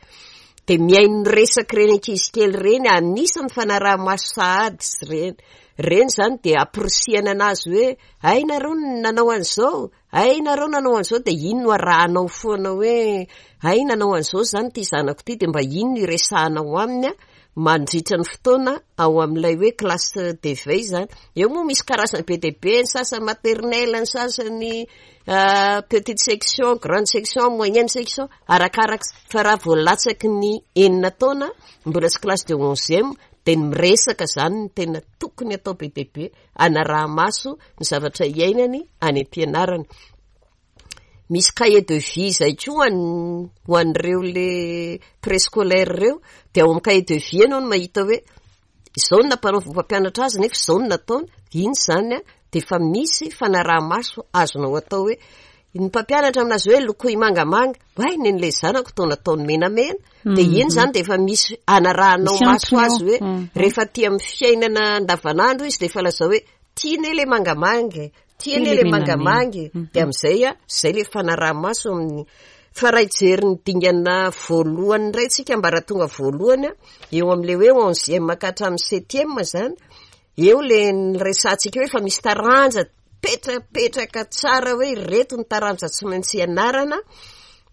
Dia mihaino ny resak'ireny ankizy kely ireny, anisan'ny fanaraha-maso sahady izy ireny. Ireny izany dia ampirisihana an'azy hoe hay nareo no nanao an'izao, Hay nareo nanao an'izao dia iny no arahanao foana hoe hay nanao an'izao izany ity zanako ity dia mba iny no iresahanao aminy mandritra ny fotoana ao amin'ilay hoe classe d'éveil izany. Eo moa misy karazany be dia be, ny sasany maternelle, ny sasany petite section, grande section, moyenne section, arakaraka fa raha vao latsaky ny enina taona mbola tsy classe de onzième dia ny miresaka izany no tena tokony atao be dia be. hanaraha-maso ny zavatra iainany any am-pianarana. Misy cahier de vie izay koa ho an'ireo le préscolaire ireo, dia ao amin'ny cahier de vie ianao no mahita hoe izao no nampanaovin'ny mpampianatra azy nefa izao no nataony, iny izany an, dia efa misy fanaraha-maso azonao atao hoe ny mpampianatra aminazy hoe lokoy mangamanga, oay nen'ilay zanako toa nataony menamena. Dia iny izany dia efa misy anarahanao maso azy hoe rehefa aty amin'ny fiainana andavanandro izy dia efa lazao hoe tia anie ilay mangamanga e, tia anie ilay mangamanga e. Dia amin'izay a, izay ilay fanaraha-maso amin'ny fa raha hijery ny dingana voalohany indray tsika ambaratonga voalohany a, eo amin'ilay hoe onzième ka hatramin'ny septième izany, eo ilay niresahantsika hoe efa misy taranja petrapetraka tsara hoe ireto ny taranja tsy maintsy ianarana,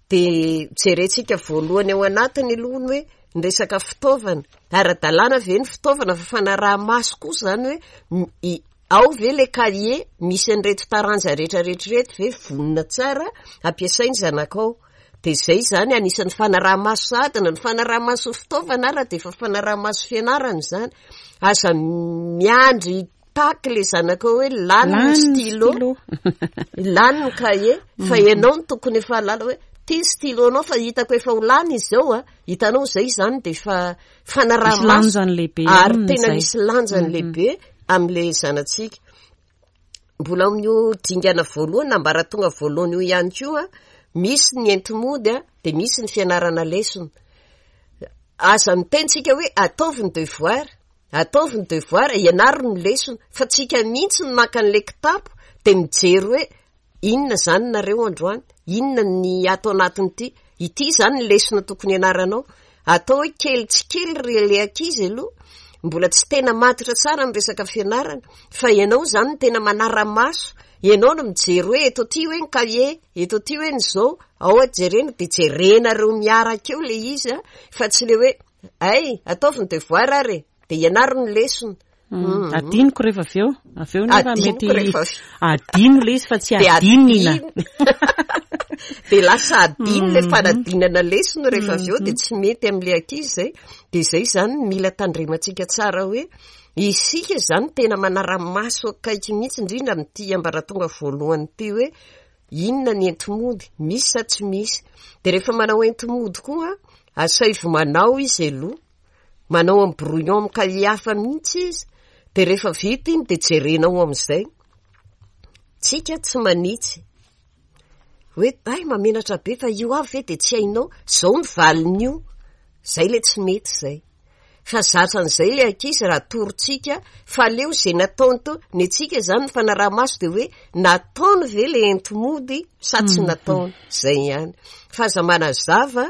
dia jerentsika voalohany ao anatiny aloha ny hoe ny resaka fitaovana, ara-dalàna ve ny fitaovana fa fanaraha-maso koa izany hoe ao ve ilay cahier misy an'ireto taranja rehetra rehetra ireto ve vonona tsara ampiasain'ny zanakao, dia izay izany anisan'ny fanaraha-maso sahady na ny fanaraha-maso ny fitaovana ara dia efa fanaraha-maso fianarana izany, aza miandry Tac le zanakao hoe lany ny stylo, lany ny cahier, fa ianao no tokony efa hahalala hoe ty ny stylo anao fa hitako efa ho lany izy izao a, hitanao izay izany dia efa fanaraha-maso ary tena misy lanjany lehibe amin'ilay zanatsika. Mbola ao amin'io dingana voalohany na ambaratonga voalohany io ihany koa, misy ny enti-mody a, dia misy ny fianarana lesona. Aza miteny tsika hoe ataovy ny devoir, Ataovy ny devoir, ianaro ny lesona, fa tsika mihitsy no maka an'ilay kitapo dia mijery hoe inona izany nareo androany, inona ny ato anatin'ity, ity izany ny lesona tokony hianaranao. Atao hoe kely tsy kely ry ilay ankizy aloha, mbola tsy tena matotra tsara amin'ny resaka fianarana, fa ianao izany no tena manara-maso, ianao no mijery hoe eto aty hoe ny kahie, eto aty hoe ny izao, ao jerena dia jerenareo miaraka eo ilay izy an, fa tsy ilay hoe Hay, ataovy ny devoir ary e! Dia ianaro ny lesona. Adinoko rehefa avy eo. Avy eo nefa mety adino ilay izy fa tsy adinina. Dia lasa adino ilay fanadinana lesona rehefa avy eo dia tsy mety amin'ilay ankizy izay. Dia izay izany no mila tandremantsika tsara hoe isika izany tena manara-maso akaiky mihitsy indrindra amin'ity ambaratonga voalohany ity hoe Inona ny enti-mody? Misy sa tsy misy? Dia rehefa manao enti-mody koa, asaivo manao izy aloha. Manao amin'ny brouillon amin'ny kahie hafa mihitsy izy. Dia rehefa vita iny dia jerenao amin'izay. Tsika tsy manitsy. Hoe hay mamenatra be fa io avy ve dia tsy hainao. Izao ny valin'io. Izay ilay tsy mety izay. Fa zatra an'izay ilay ankizy raha atorontsika fa aleo izay nataony teo, ny antsika izany ny fanaraha-maso dia hoe nataony ve ilay enti-mody sa tsy nataony, izay ihany. Fa aza manazava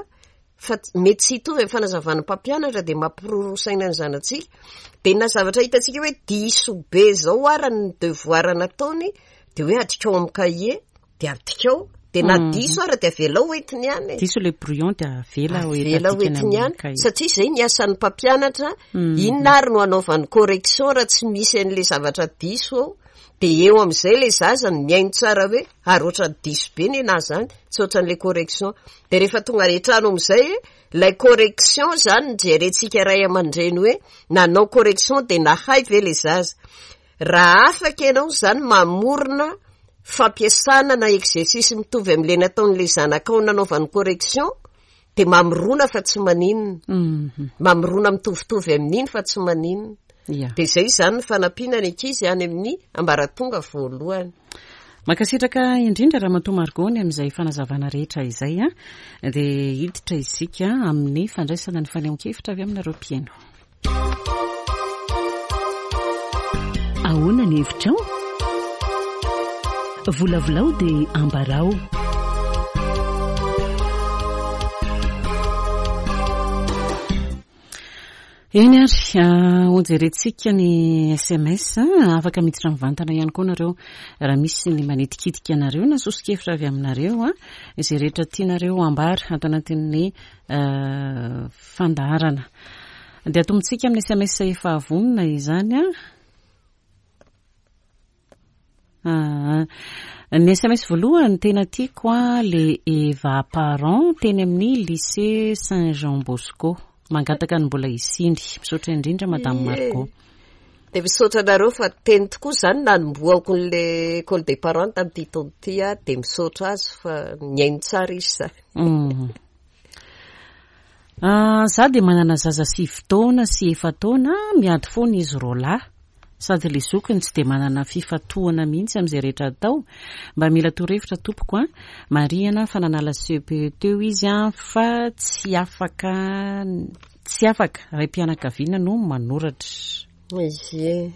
fa mety tsy hitovy amin'ny fanazavan'ny mpampianatra dia mampiroroa saina ny zanatsika. Dia na zavatra hitantsika hoe diso be izao ara ny devoir nataony dia hoe adikao amin'ny kahie. Dia adikao, dia na diso ara dia avelao ho entiny ihany e. Diso ilay brouillon dia avela ho Avela ho entiny ihany, satria izay ny asan'ny mpampianatra, inona ary no hanaovany correction raha tsy misy an'ilay zavatra diso ao, dia eo amin'izay ilay zaza no mihaino tsara hoe ary ohatran'ny diso be ny anahy izany, tsy ohatran'ilay correction. Dia rehefa tonga any an-trano amin'izay, ilay correction izany no jerentsika ray aman-dreny hoe nanao correction dia nahay ve ilay zaza. Raha afaka ianao izany mamorona fampiasana na exercice mitovy amin'ilay nataon'ilay zanakao nanaovany correction dia mamorona fa tsy maninona. Mamorona mitovitovy amin'iny fa tsy maninona. Dia izay izany ny fanampiana ny ankizy any amin'ny ambaratonga voalohany. Mankasitraka indrindra Ramatoa Margot ny amin'izay fanazavana rehetra izay. Dia hiditra isika amin'ny fandraisana ny fanehoan-kevitra avy aminareo mpihaino. Ahoana ny hevitrao? Volavolao dia ambarao. Eny ary, ah, hojerentsika ny SMS. Afaka miditra mivantana ihany koa nareo raha misy ny manitikitika anareo na soso-kevitra avy aminareo, ah, izay rehetra tianareo ambara ato anatin'ny ah, fandaharana. Dia atombotsika amin'ny sms efa vonona izany an. Ah, ny sms voalohany tena tiako a le Eva Parent teny amin'ny lycée Saint Jean Bosco. Mangataka ny mbola hisiany. Misaotra indrindra Madame Margot. Dia misaotra anareo fa teny tokoa izany nanombohako an'le école des parents tamin'ity taona ity aho dia misaotra azy fa nihaino tsara izy izany. Mm. Za dia manana zaza 9 taona sy 4 taona, miady foana izy roalahy. Sady le zokiny tsy dia manana fifantohana mihitsy amin'izay rehetra atao. Mba mila torohevitra tompoko a. Marihana fa nanala CEPE teo izy a, fa tsy afaka tsy afaka. Raim-pianakaviana no manoratra. Ie.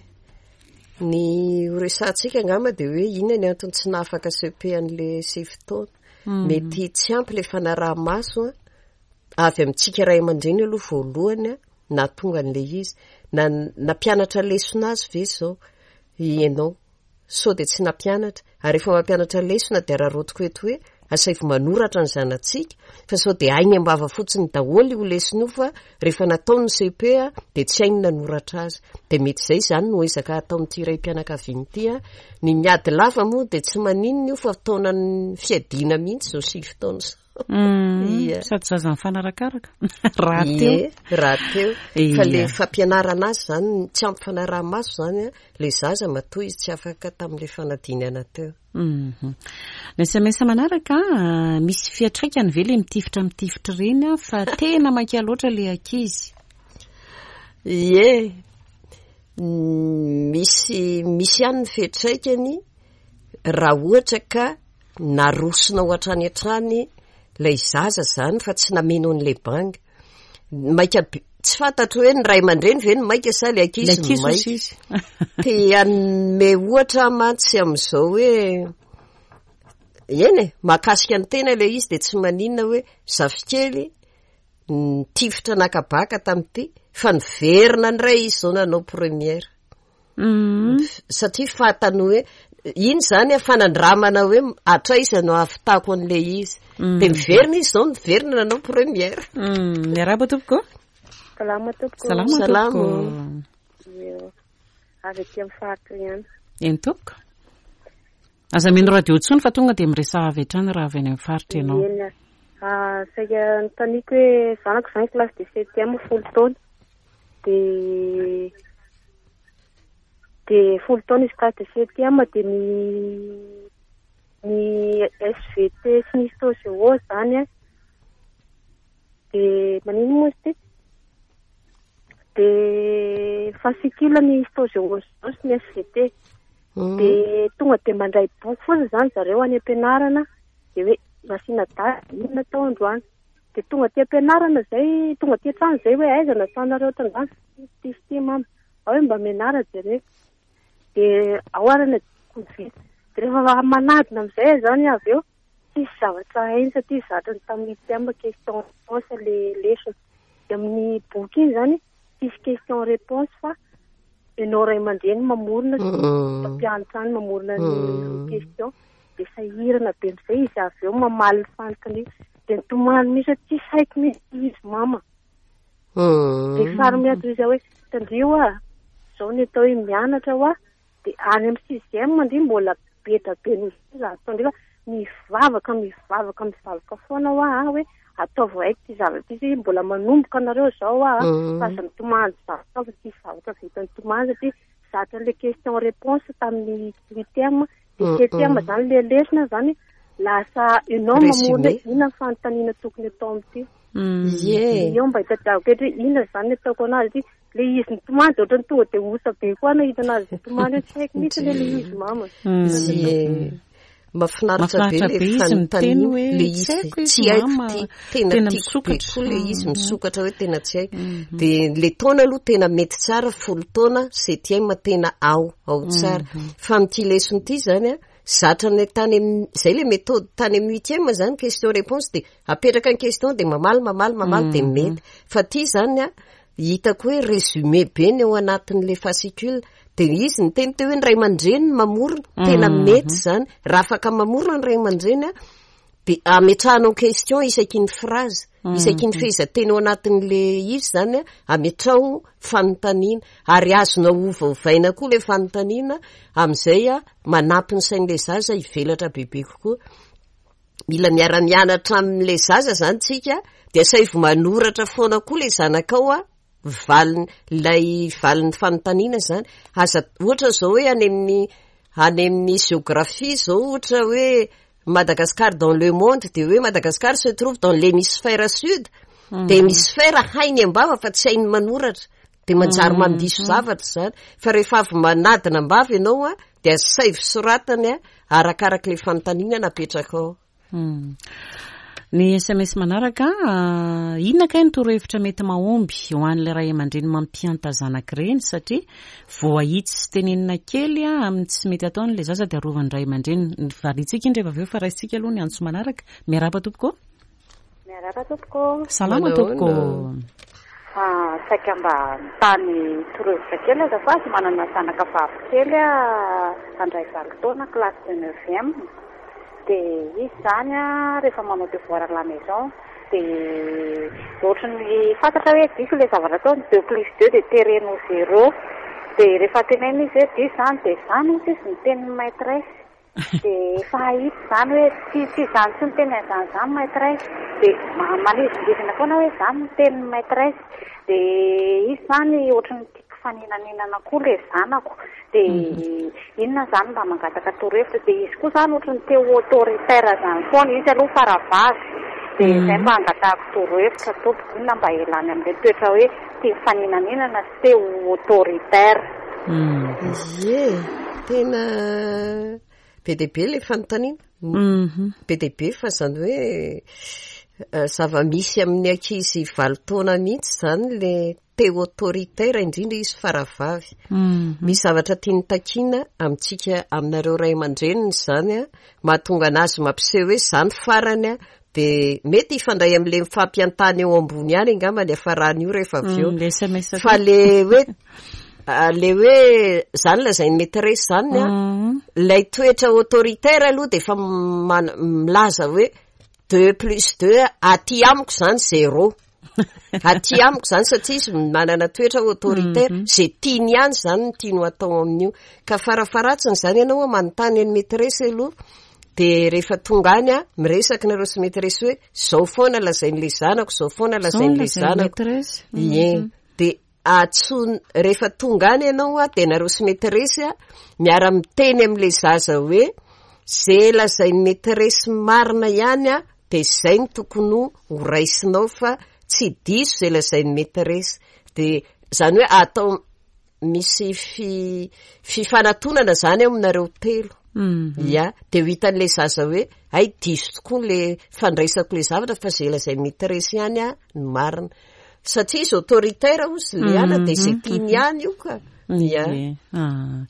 Ny ho resahantsika angamba dia hoe inona ny antony tsy nahafaka CEPE an'le 9 taona. Mety tsy ampy le fanaraha-maso a. Avy amintsika ray aman-dreny aloha voalohany a, nahatonga an'ilay izy. Na nampianatra lesona azy ve izao ianao? Sao dia tsy nampianatra? Ary rehefa mampianatra lesona dia araraotiko eto hoe asaivo manoratra ny zanatsika fa sao dia hainy am-bava fotsiny daholo io lesona io fa rehefa natao ny CP dia tsy hainy nanoratra azy. Dia mety izay izany no ezaka ataon'ity raim-pianakaviana ity a. Ny miady lava moa dia tsy maninona io fa taonan'ny fiadiana mihitsy izao 9 taona izao. Ia. Sady zaza mifanarakaraka. Raha teo. Ie, raha teo. Fa le fampianarana azy zany, tsy ampy fanaraha-maso zany a, le zaza matoa izy tsy afaka tamin'le fanadinana teo. Mhm. Ny SMS manaraka, misy fiantraikany ve le mitifitra mitifitra ireny a, fa tena maika loatra le ankizy. Ie, misy, misy ihany ny fiantraikany raha ohatra ka narosonao hatrany hatrany ilay zaza zany fa tsy nameno an'ilay banga. Maika be, tsy fantatro hoe ny ray aman-dreny ve no maika sa ilay ankizy no maika. Te hanome ohatra aho mantsy amin'izao hoe eny e, mahakasika ny tena ilay izy dia tsy maninona hoe zafikely nitifitra naka baka tamin'ity fa niverina indray izy izao nanao première. Satria fantany hoe iny zany a fanandramana hoe hatraiza no ahavitako an'ilay izy. Dia miverina izy izao, niverina nanao première. Miarahaba tompoko. Salama tompoko. Salama tompoko. Eo. Avy aty amin'ny faritra ihany. Eny tompoko. Aza mino radio intsony fa tonga dia miresaha avy hatrany raha avy any amin'ny faritra ianao. Eny ary. Ah, saika anontaniako hoe zanako izany classe de septième 10 taona. Dia dia 10 taona izy classe de septième dia ny ny SVT sy ny histo géo izany an. Dia maninona moa izy ity? Dia fascicule ny histo géo sy ny SVT. Dia tonga dia mandray boky fotsiny izany zareo any am-pianarana dia hoe nasiana daty inona tao androany. Dia tonga aty am-pianarana izay, tonga aty an-trano izay hoe aiza nasanareo tamin'izany ity sy ity mama. Ao hoe mba mianara jereo. Dia ao ary ny adidiko ny vita. Dia rehefa manadina amin'izay aho izany avy eo, tsisy zavatra hainy satria zatra ny tamin'ny huitième question réponse ilay lesona. Dia amin'ny boky iny izany tsisy question réponse fa ianao ray aman-dreny mamorona sy mpampianatra any mamorona ny question. Dia sahirana be amin'izay izy avy eo mamaly ny fanontaniana. Dia nitomany mihitsy hoe tsisy haiko mihitsy izy mama. Dia faly miantso izy hoe tandrio ah, izao ny atao hoe mianatra hoa. Dia any amin'ny sixième ndry mbola be dia be noho izay raha ataondry fa mivavaka, mivavaka, mivavaka foana hoa aho hoe ataovy haiko ity zavatra ity satria mbola manomboka nareo izao hoa fa aza mitomany zavatra fa tsisy zavatra vita nitomany satria zatra an'ilay question réponse tamin'ny huitième dia septième zany le lesona zany lasa ianao mamorona hoe inona ny fanontaniana tokony atao amin'ity. Ie. Eo mba hitadiavako eto hoe inona zany ny ataoko anazy ity. Le izy nitomany dia ohatran'ny tonga dia osa be koa nahita anazy nitomany hoe tsy haiko mihitsy le izy mama. Ie. Mahafinaritra be le fanontaniana hoe le izy tsy haiko ty tena tiako be koa le izy misokatra hoe tena tsy haiko mhm. de le taona aloha tena mety tsara folo taona septième tena ao ao tsara mhm. fa amin'ity lesona ity zany a zatra ny tany amin'ny zay le méthode tany amin'ny huitième zany question réponse de apetraka ny question de mamaly mamaly mamaly de mhm. mety fa ty zany a Hitako hoe résumé be ny ao anatin'le fascicule. Dia izy niteny teo hoe ny ray aman-dreny no mamorona. Tena mety izany. Raha afaka mamorona ny ray aman-dreny an, dia ametrahanao question isaky ny phrase, isaky ny fehezanteny ao anatin'le izy izany an, ametraho fanontaniana. Ary azonao ovaovaina koa ilay fanontaniana amin'izay an, manampy ny sain'ilay zaza hivelatra bebe kokoa. Mila miara-mianatra amin'ilay zaza izany tsika, dia asaivo manoratra foana koa ilay zanakao a, valiny, ilay valin'ny fanontaniana izany. Aza, ohatra izao hoe any amin'ny, any amin'ny géographie izao ohatra hoe Madagascar dans le monde, dia hoe Madagascar se trouve dans l'hémisphère sud, dia hémisphère hainy am-bava fa tsy hainy manoratra. Dia manjary mandiso zavatra izany. Fa rehefa avy manadina am-bava ianao a, dia asaivo soratany a, arakarak'ilay fanontaniana napetrakao. Ny sms manaraka, inona kay ny torohevitra mety mahomby ho an'ilay ray aman-dreny mampihanta zanaka ireny satria voahitsy sy tenenina kely amin'ny tsy mety ataony ilay zaza dia arovan'ny ray aman-dreny. Variantsika iny rehefa avy eo fa raisintsika aloha ny antso manaraka. Miarahaba tompoko. Miarahaba tompoko. Salama tompoko. Ah, saika mba nitany torohevitra kely azafady, manana zanaka vavy kely aho handray valo taona, classe de neuvième. Dia izy izany rehefa manao devoir à la maison dia ohatran'ny fantatra hoe diso ilay zavatra ataony, deux plus deux dia tereny ho zéro. Dia rehefa tenenina izy hoe diso izany dia izany hozy izy ny tenin'ny maîtresse. Dia efa hahita izany hoe tsy tsy izany tsy miteny an'izany izany maitresse. Dia manizingizina foana hoe izany no tenin'ny maitresse. Dia izy izany ohatran'ny tia mpifaninaninana koa ilay zanako. Dia inona izany mba mangataka torohevitra. Dia izy koa izany ohatran'ny te ho autoritaire izany foana. Izy aloha faravavy. Dia izay mba angatahako torohevitra tompoko. Inona mba ialany amin'ilay toetra hoe tia mifaninaninana sy te ho autoritaire. Ie, tena be dia be ilay fanontaniana. Be dia be fa izany hoe zava-misy amin'ny ankizy valo taona mihitsy izany ilay te ho autoritaire, indrindra izy faravavy. Misy zavatra tiany takiana amintsika, aminareo ray aman-dreniny izany an, mahatonga an'azy mampiseho hoe izany farany an, Dia mety hifandray amin'ilay mifampiantany eo ambony ihany angamba ny hafaran'io rehefa avy eo. Le SMS Fa le hoe le hoe zany lazain'ny maîtresse zany an, ilay toetra autoritaire aloha dia efa milaza hoe deux plus deux aty amiko zany zéro. Aty amiko zany satria izy manana toetra autoritaire, zay tiany ihany zany no tiany ho atao amin'io. Ka farafaharatsiny zany ianao manontany an'ny maîtresse aloha, de rehefa tonga any a, miresaka nareo sy maîtresse hoe zao foana lazain'le zanako, zao foana lazain'le zanako. Ie, de atso-, rehefa tonga any ianao a, de nareo sy maîtresse a, miara-miteny amin'le zaza hoe ze lazain'ny maîtresse marina ihany a, de zay no tokony ho raisinao fa tsy diso zay lazain'ny maîtresse. De zany hoe atao misy fifanatonana zany eo aminareo telo. Ia, dia ho hitan'ilay zaza hoe hay diso tokoa le fandraisako le zavatra fa izay lazain'ny maîtresse ihany a no marina. Satria izy autoritaire hozy le ana dia izay tiany ihany io ka. Ia. Ah.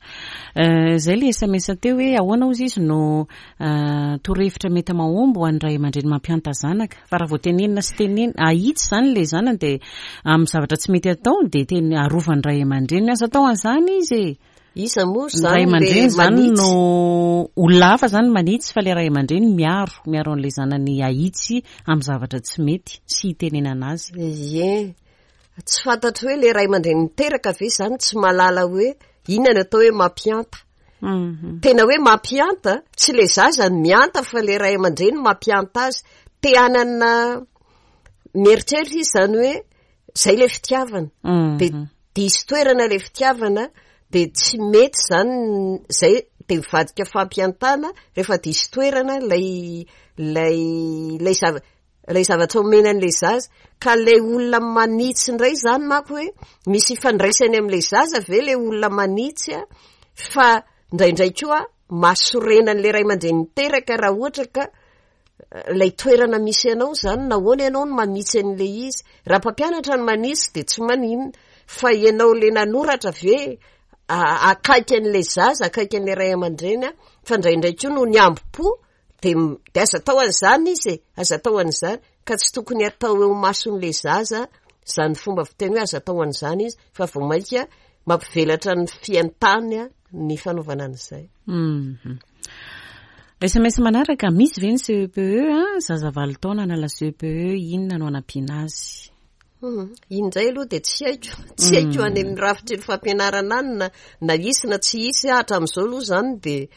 Eh, zay le SMS teo hoe ahoana hozy izy no eh, torohevitra mety mahomby ho an'ny ray aman-dreny mampihanta zanaka. Fa raha vao tenenina sy tenenina, ahitsy izany le zanany dia amin'ny zavatra tsy mety atao dia teny arovan'ny ray aman-dreny. Aza atao an'izany izy e. Iza moa Ny ray izany aman-dreny le izany manitsy? no olona hafa izany manitsy fa ilay ray aman-dreny miaro, miaro an'ilay zanany ahitsy amin'ny zavatra tsy mety sy hitenenana azy. Ie. Tsy fantatro hoe le ray aman-dreny niteraka ve izany tsy mahalala hoe inona ny atao hoe mampihanta. Tena hoe mampihanta, tsy le zaza no mihanta fa le ray aman-dreny mampihanta azy. Te hanana mieritreritra izy izany hoe zay le fitiavana. Dia diso toerana ilay fitiavana dia tsy mety izany zay dia mivadika fampihantana rehefa diso toerana ilay ilay ilay zava ilay zavatra omena an'ilay zaza ka ilay olona manitsy indray izany manko hoe misy ifandraisany amin'ilay zaza ve ilay olona manitsy a fa indraindray koa mahasorena an'ilay ray aman-dreny niteraka raha ohatra ka ilay toerana misy anao izany, nahoana ianao no manitsy an'ilay izy? Raha mpampianatra no manitsy dia tsy maninona, fa ianao ilay nanoratra ve akaiky an'ilay zaza, akaiky an'ilay ray aman-dreny a, fa indraindray koa noho ny hambom-po dia dia aza atao an'izany izy e, aza atao an'izany, ka tsy tokony atao eo imason'ilay zaza izany fomba fiteny hoe aza atao an'izany izy, fa vao mainka mampivelatra ny fiantany ny fanaovana an'izay. SMS manaraka, misy ve ny CEPE a? Zaza valo taona hanala CEPE, inona no hanampiana azy? Hmm, iny indray aloha dia tsy haiko, tsy haiko any amin'ny rafitry ny fampianarana any na na hisy na tsy hisy hatramin'izao aloha izany dia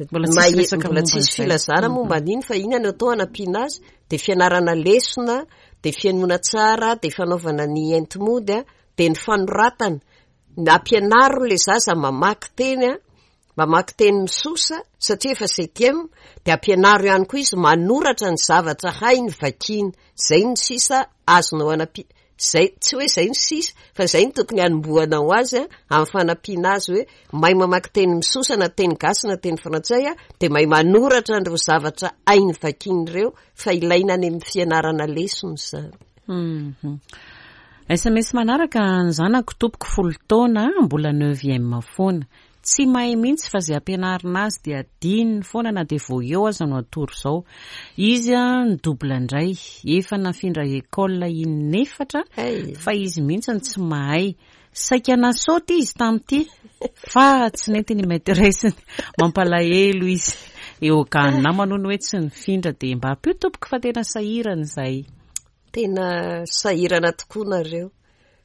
Mbola tsisy mahe- resaka mbola momba tsisy an'izay. filazana momba an'iny fa inona no atao hanampiana azy dia fianarana lesona, dia fihainoana tsara, dia fanaovana ny enti-mody a, dia ny fanoratana. Ampianaro ilay zaza mamaky teny a, Mamaky teny misosa satria efa septième dia ampianaro ihany koa izy manoratra ny zavatra hainy vakiana. Izay no sisa azonao anampiana, izay, tsy hoe izay no sisa fa izay no tokony hanombohanao azy amin'ny fanampiana azy hoe mahay mamaky teny misosa na teny gasy na teny frantsay dia mahay manoratra an'ireo zavatra hainy vakiana ireo fa ilaina any amin'ny fianarana lesona izany. SMS manaraka, ny zanako tompoko folo taona mbola neuvième foana. Tsy mahay mihitsy fa izay ampianarina azy dia adinony foana na dia vao eo aza no atoro izao. Izy ny double indray, efa nafindra école in'efatra fa izy mihitsy no tsy mahay. Saika nasaoty izy tamin'ity fa tsy nety ny maîtresse-ny. Mampalahelo izy. Eo gahan'ny namany hono hoe tsy nifindra dia mba ampio tompoko fa tena sahirana izahay. Tena sahirana tokoa nareo.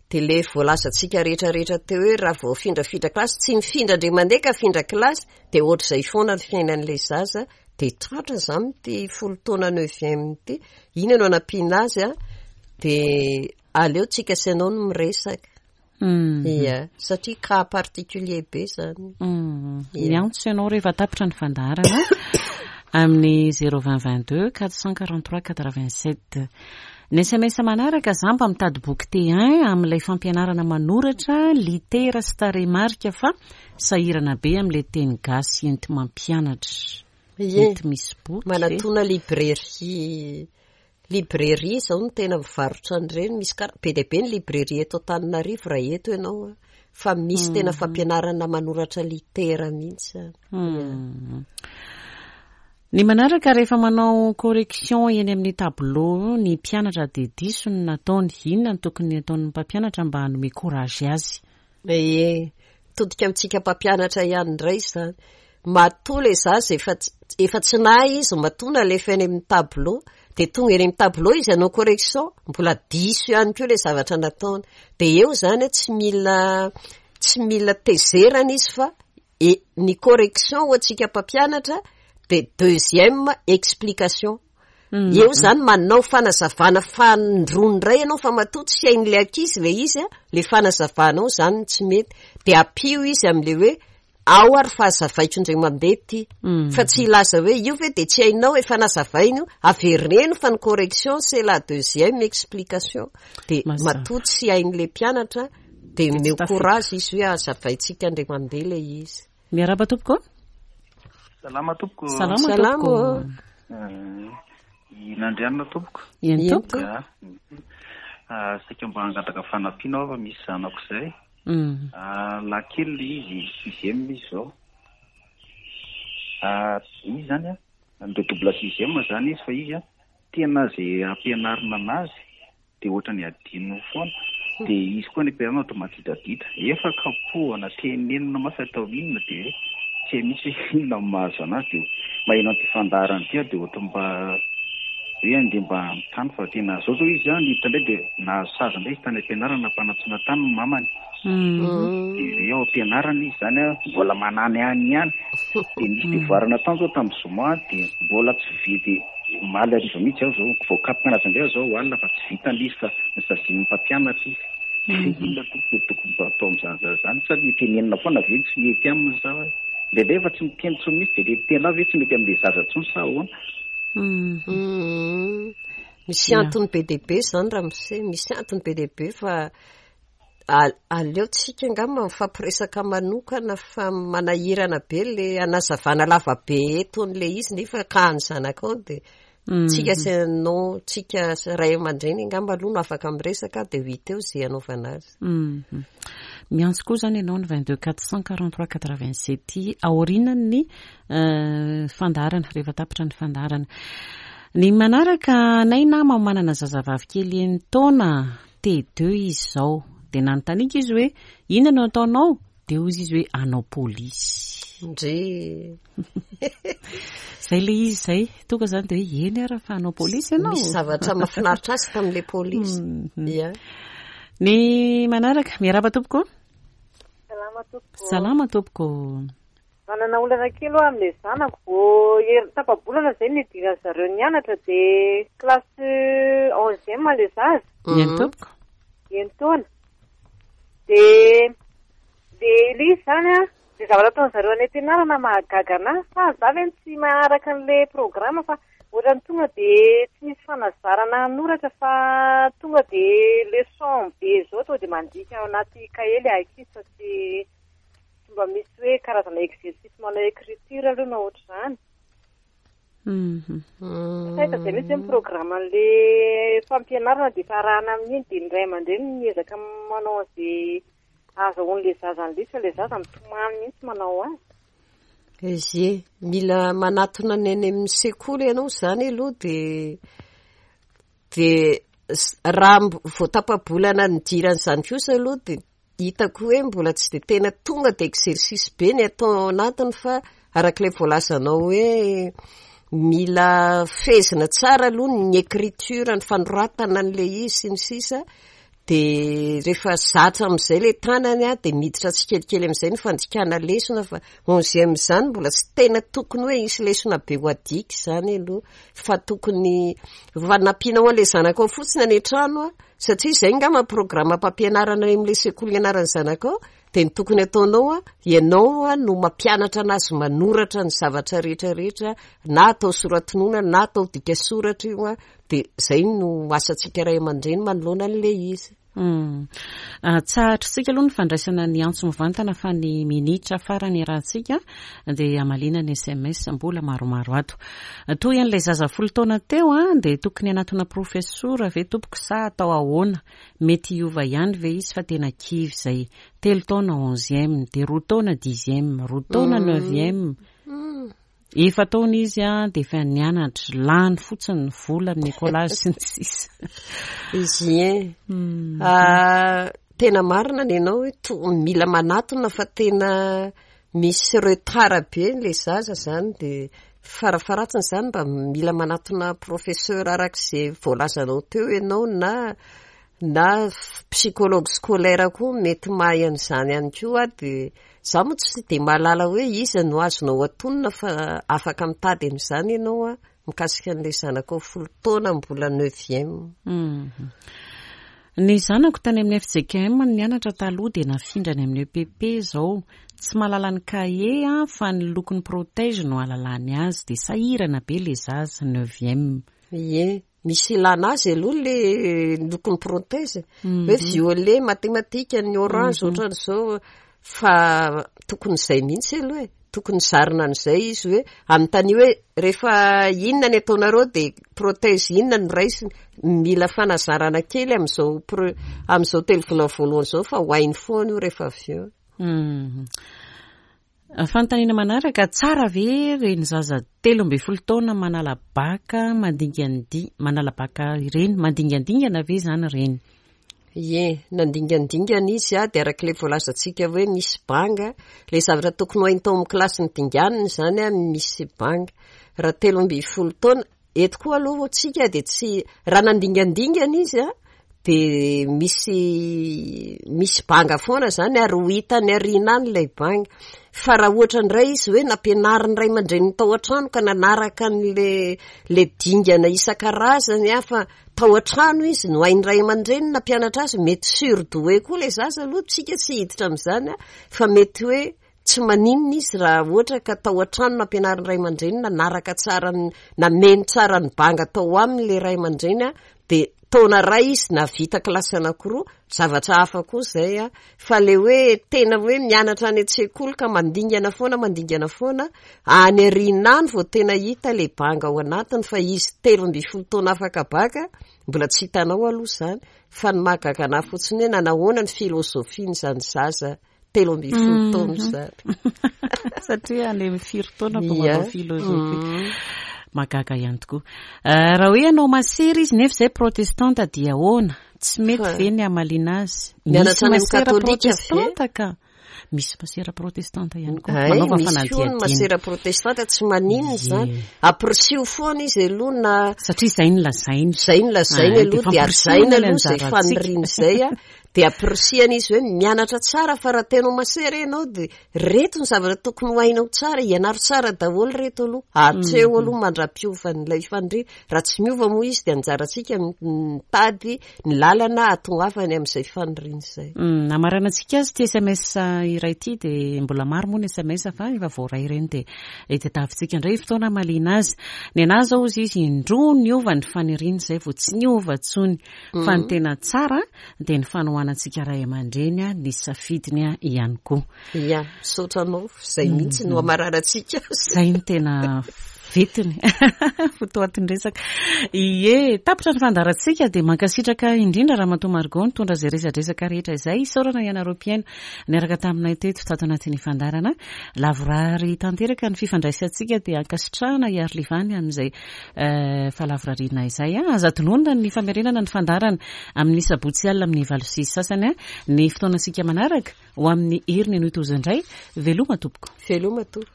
Dia ilay voalazantsika rehetra rehetra teo hoe raha vao afindrafindra kilasy, tsy mifindra indray mandeha ka afindra kilasy, dia ohatr'izay foana ny fiainan'ilay zaza, dia tratra izany ity folo taona neuvième ity, inona no anampiana azy an, dia aleo tsika sy ianao no miresaka. Ia, satria cas particulier be izany. Miantso ianao rehefa tapitra ny fandaharana amin'ny 020 22 443 87. Ny sms manaraka, za mba mitady boky T1 amin'ilay fampianarana manoratra litera sy tarehimarika fa sahirana be amin'ilay teny gasy enti-mampianatra. Ie, Mety misy boky ve? manatona librairie, librairie izao no tena mivarotra an'ireny, misy kara-, be dia be ny librairie eto Antananarivo raha eto ianao an, fa misy tena fampianarana manoratra litera mihitsy an. Ny manaraka, rehefa manao correction eny amin'ny tableau ny mpianatra dia diso ny nataony, inona no tokony ataon'ny mpampianatra mba hanome courage azy? Ee, mitodika amintsika mpampianatra ihany indray izany. Matoa ilay zaza efa efa tsy nahay izy, matoa nalefa eny amin'ny tableau, dia tonga eny amin'ny tableau izy hanao correction, mbola diso ihany koa ilay zavatra nataony. Dia eo izany tsy mila tsy mila tezerana izy fa E, ny correction ho antsika mpampianatra dia deuxième explication. Eo izany manao fanazavana fanindroany indray ianao fa matoa tsy hain'ilay ankizy ilay izy a, ilay fanazavanao izany no tsy mety. Dia ampio izy amin'ilay hoe ao ary fa hazavaiko indray mandeha ity. Fa tsy hilaza hoe io ve dia tsy hainao, efa nazavaina io, avereno fa ny correction c'est la deuxième explication. Dia matoa tsy hain'ilay mpianatra Dia omeo courage izy hoe hazavaintsika indray mandeha ilay izy. Miarahaba tompoko. Salama tompoko. Salama tompoko. I Nandrianina tompoko. Eny tompoko. Saika mba hangataka fanampiana aho fa misy zanako izay. Lahy kely ilay izy, sixième izy izao. Izy izany an, mi-redouble sixième izany izy fa izy an, tena izay ampianarina an'azy dia ohatran'ny adinony foana, dia izy koa any am-pianarana ohatra madidadida, efa kapohana, tenenina mafy atao inona dia tsy hay mihitsy hoe inona no mahazo an'azy, dia maheno an'ity fandaharana ity aho dia ohatran'ny mba hoe andeha mba hanontany fa tena zao zao izy an, niditra indray dia nahazo sazy indray izy tany am-pianarana nampanantsoina tany ny mamany, dia hoe ao am-pianarana izy izany an, mbola manany any ihany, dia nisy devoir natao zao tamin'ny zoma dia mbola tsy vita. Omaly hariva mihitsy aho izao, voakapoka anazy indray aho izao alina fa tsy vitany ilay izy fa nosazian'ny mpampianatra izy. Inona tompoko no tokony mba atao amin'izany zaza izany? Sa le tenenina foana ve no tsy mety aminy sa hoe? Indraindray efa tsy miteny intsony mihitsy dia le miteny ve tsy mety amin'ilay zaza intsony sa ahoana? Misy antony be dia be izany ramose, misy antony be dia be fa Aleo tsika angamba mifampiresaka manokana fa manahirana be le hanazavana lava be eto an'le izy nefa ka ny zanakao dia tsika sy anao tsika sy ray aman-dreny angamba aloha no afaka miresaka dia ho hita eo izay hanaovana azy. Miantso koa izany ianao ny 22 443 87 aorianan'ny fandaharana, rehefa tapitra ny fandaharana. Ny manaraka anay nama manana zazavavy kely enin-taona T2 izy izao. Dia nanontaniako izy hoe, inona no ataonao? Dia hozy izy hoe, hanao polisy. Ndry. Izay ilay izy izay. Tonga izany dia hoe, eny ara fa hanao polisy ianao. Misy zavatra mahafinaritra azy tamin'ilay polisy. Ia. Ny manaraka, miarahaba tompoko. Salama tompoko. Salama tompoko. Manana olana kely aho amin'ilay zanako, vao hery tapa-bolana izay nidiran'ny zareo nianatra dia classe onzième ilay zaza. Eny tompoko. Enin-taona. Dia dia ilay izy izany an, ilay zavatra ataon'ny zareo any am-pianarana mahagaga an'ahy fa za ve no tsy maharaka an'ilay programme fa ohatran'ny tonga dia tsy misy fanazarana hanoratra fa tonga dia leçon be izao tonga dia mandika ao anaty kahie ilay ankizy fa tsy Tsy mba misy hoe karazana exercice manao écriture aloha na ohatr'izany. Tsy hita izay mihitsy hoe ny programme-n'le fampianarana dia efa arahana amin'iny dia ny ray aman-dreny miezaka manao an'izay ahazahoan'ilay zaza an'ilay izy fa ilay zaza mitomany mihitsy manao azy. Ezie, mila manatona ny any amin'ny sekoly ianao izany aloha dia dia raha vao tapa-bolana nidiran'izany kosa aloha dia Hitako hoe mbola tsy dia tena tonga dia exercice be ny atao ao anatiny fa arak'ilay voalazanao hoe mila fehezina tsara aloha ny écriture, ny fanoratana an'ilay izy sy ny sisa dia rehefa zatra amin'izay ilay tanany dia miditra tsikelikely amin'izay ny fandikana lesona fa onzième izany mbola tsy tena tokony hoe hisy lesona be ho adika izany aloha fa tokony fanampianao an'ilay zanakao fotsiny any an-trano Satria izay angamba ny programam-pampianarana any amin'ilay sekoly ianaran'ny zanakao, dia ny tokony ataonao an, ianao no mampianatra an'azy manoratra ny zavatra rehetra rehetra, na atao sora-tonona na atao dika soratra io an, dia izay no asantsika ray aman-dreny manoloana an'ilay izy. Tsahatrintsika aloha ny fandraisana ny antso mivantana fa ny minitra farany iarahantsika dia hamaliana ny sms mbola maromaro ato. Toy an'ilay zaza folo taona teo an, dia tokony hanatona profesora ve tompoko sa atao ahoana? Mety hiova ihany ve izy fa tena kivy izay. Telo taona onzième, dia roa taona dixième, roa taona neuvième. Efa taona izy an, dia efa nianatra, lany fotsiny ny vola amin'ny écolage sy ny sisa. Izy e. Tena marina ny anao hoe to- mila manatona fa tena Misy retard be ilay zaza izany dia farafaharatsiny izany mba mila manatona professeur araka izay voalazanao teo ianao na na psychologue scolaire koa mety mahay an'izany ihany koa dia izaho moa tsy dia mahalala hoe iza no azonao atonina fa afaka mitady an'izany ianao an. Mikasika an'ilay zanakao folo taona mbola neuvième. Ny zanako tany amin'ny fjkm no nianatra taloha dia nafindra any amin'ny EPP izao. Tsy mahalala ny cahier aho fa ny lokon'ny protège no ahalalany azy dia sahirana be ilay zaza, neuvième. Ie, misy ilana azy aloha le lokon'ny protège. Hoe violet, matematika, ny orange ohatran'izao fa tokony izay mihitsy aloha e. Tokony zarina an'izay izy hoe anontanio hoe rehefa inona ny ataonareo dia prothèse inona no raisiny. Mila fanazarana kely amin'izao pre- amin'izao telovolana voalohany izao fa ho hainy foana io rehefa avy eo. Fanontaniana manaraka, tsara ve ireny zaza 13 taona manala baka mandingandi manala baka ireny, mandingandingana ve izany ireny? Ie, nandingandingana izy dia araka ilay voalazantsika hoe misy banga, ilay zavatra tokony ho hainy tao amin'ny kilasy nodinganiny izany misy banga. Raha 13 taona, Eto koa aloha tsika dia tsy, raha nandingandingana izy an, dia misy misy banga foana izany ary ho hitany aoriana any ilay banga. Fa raha ohatra indray izy hoe nampianarin'ny ray aman-dreniny tao an-trano ka nanaraka an'ilay ilay dingana isan-karazany an, fa tao an-trano izy no hain'ny ray aman-dreniny nampianatra azy, mety surdoué koa ilay zaza aloha, tsika tsy hiditra amin'izany an, fa mety hoe Tsy maninona izy raha ohatra ka tao an-trano nampianarin'ny ray aman-dreny nanaraka tsara ny, nameno tsara ny banga tao aminy ilay ray aman-dreny dia taona iray izy nahavita kilasy anankiroa, zavatra hafa koa izay an. Fa ilay hoe tena hoe mianatra any an-tsekoly ka mandingana foana mandingana foana, any aoriana any vao tena hita ilay banga ao anatiny fa izy 13 taona afaka baka, mbola tsy hitanao aloha izany. Fa ny mahagaga anà fotsiny hoe nanahoana ny filôzôfian'izany zaza 13 taona izany. Satria any amin'ny firy taona vao manao philosophie. Mahagaga ihany tokoa. Raha hoe hanao masera izy nefa izay protestanta dia ahoana? Tsy mety ve ny hamaliana azy? Mianatra any amin'ny masera katolika ve? protestanta ka. Misy masera protestanta ihany koa. Ay, Manaova misy koa ny fanadihadiana. masera protestanta tsy maninona izany. Ie. Ampirisio foana izy aloha na Satria izay no lazainy. Izay no lazainy Ah, aloha dia dia fampirisihana hajaina ny aloha izay anjarantsika. faniriana izay a. Dia ampirisihana izy hoe mianatra tsara fa raha tena ho masera ianao dia reto ny zavatra tokony ho hainao tsara, ianaro tsara daholo reto aloha, hatreo aloha mandra-piovan'ilay faniriana. Raha tsy miova moa izy dia anjarantsika mitady ny lalana hahatongavany amin'izay faniriana izay. Hamaranantsika azy ity sms iray ity dia mbola maro moa ny sms fa efa voaray ireny dia tadiavintsika indray fotoana hamaliana azy. Ny anà izao hozy izy indroa niova ny faniriana izay vao tsy niova intsony. Fa ny tena tsara dia ny fanohanantsika ray aman-dreny ny safidiny ihany koa. Ia, misaotra anao, izay mihitsy no hamaranantsika azy. Izay no tena vetiny fotoatin-dresaka. Ie, tapitra ny fandaharantsika dia mankasitraka indrindra Ramatoa Margot nitondra izay resadresaka rehetra izay. Isaorana ianareo mpihaino niaraka taminay teto tato anatin'ny fandaharana. Lavorary tanteraka ny fifandraisantsika dia ankasitrahana i Arlivany amin'izay Fahalavorariana izay. Aza adinoina ny famerenana ny fandaharana amin'ny sabotsy alina amin'ny 8h30 ny fotoanantsika manaraka ho amin'ny heriny anio toa izao indray. Veloma tompoko. Veloma tompoko.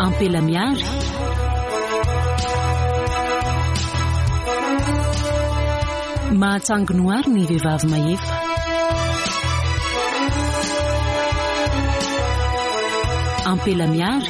Ampela miary. Mahatsangy noary ny vehivavy mahefa. Ampela miary.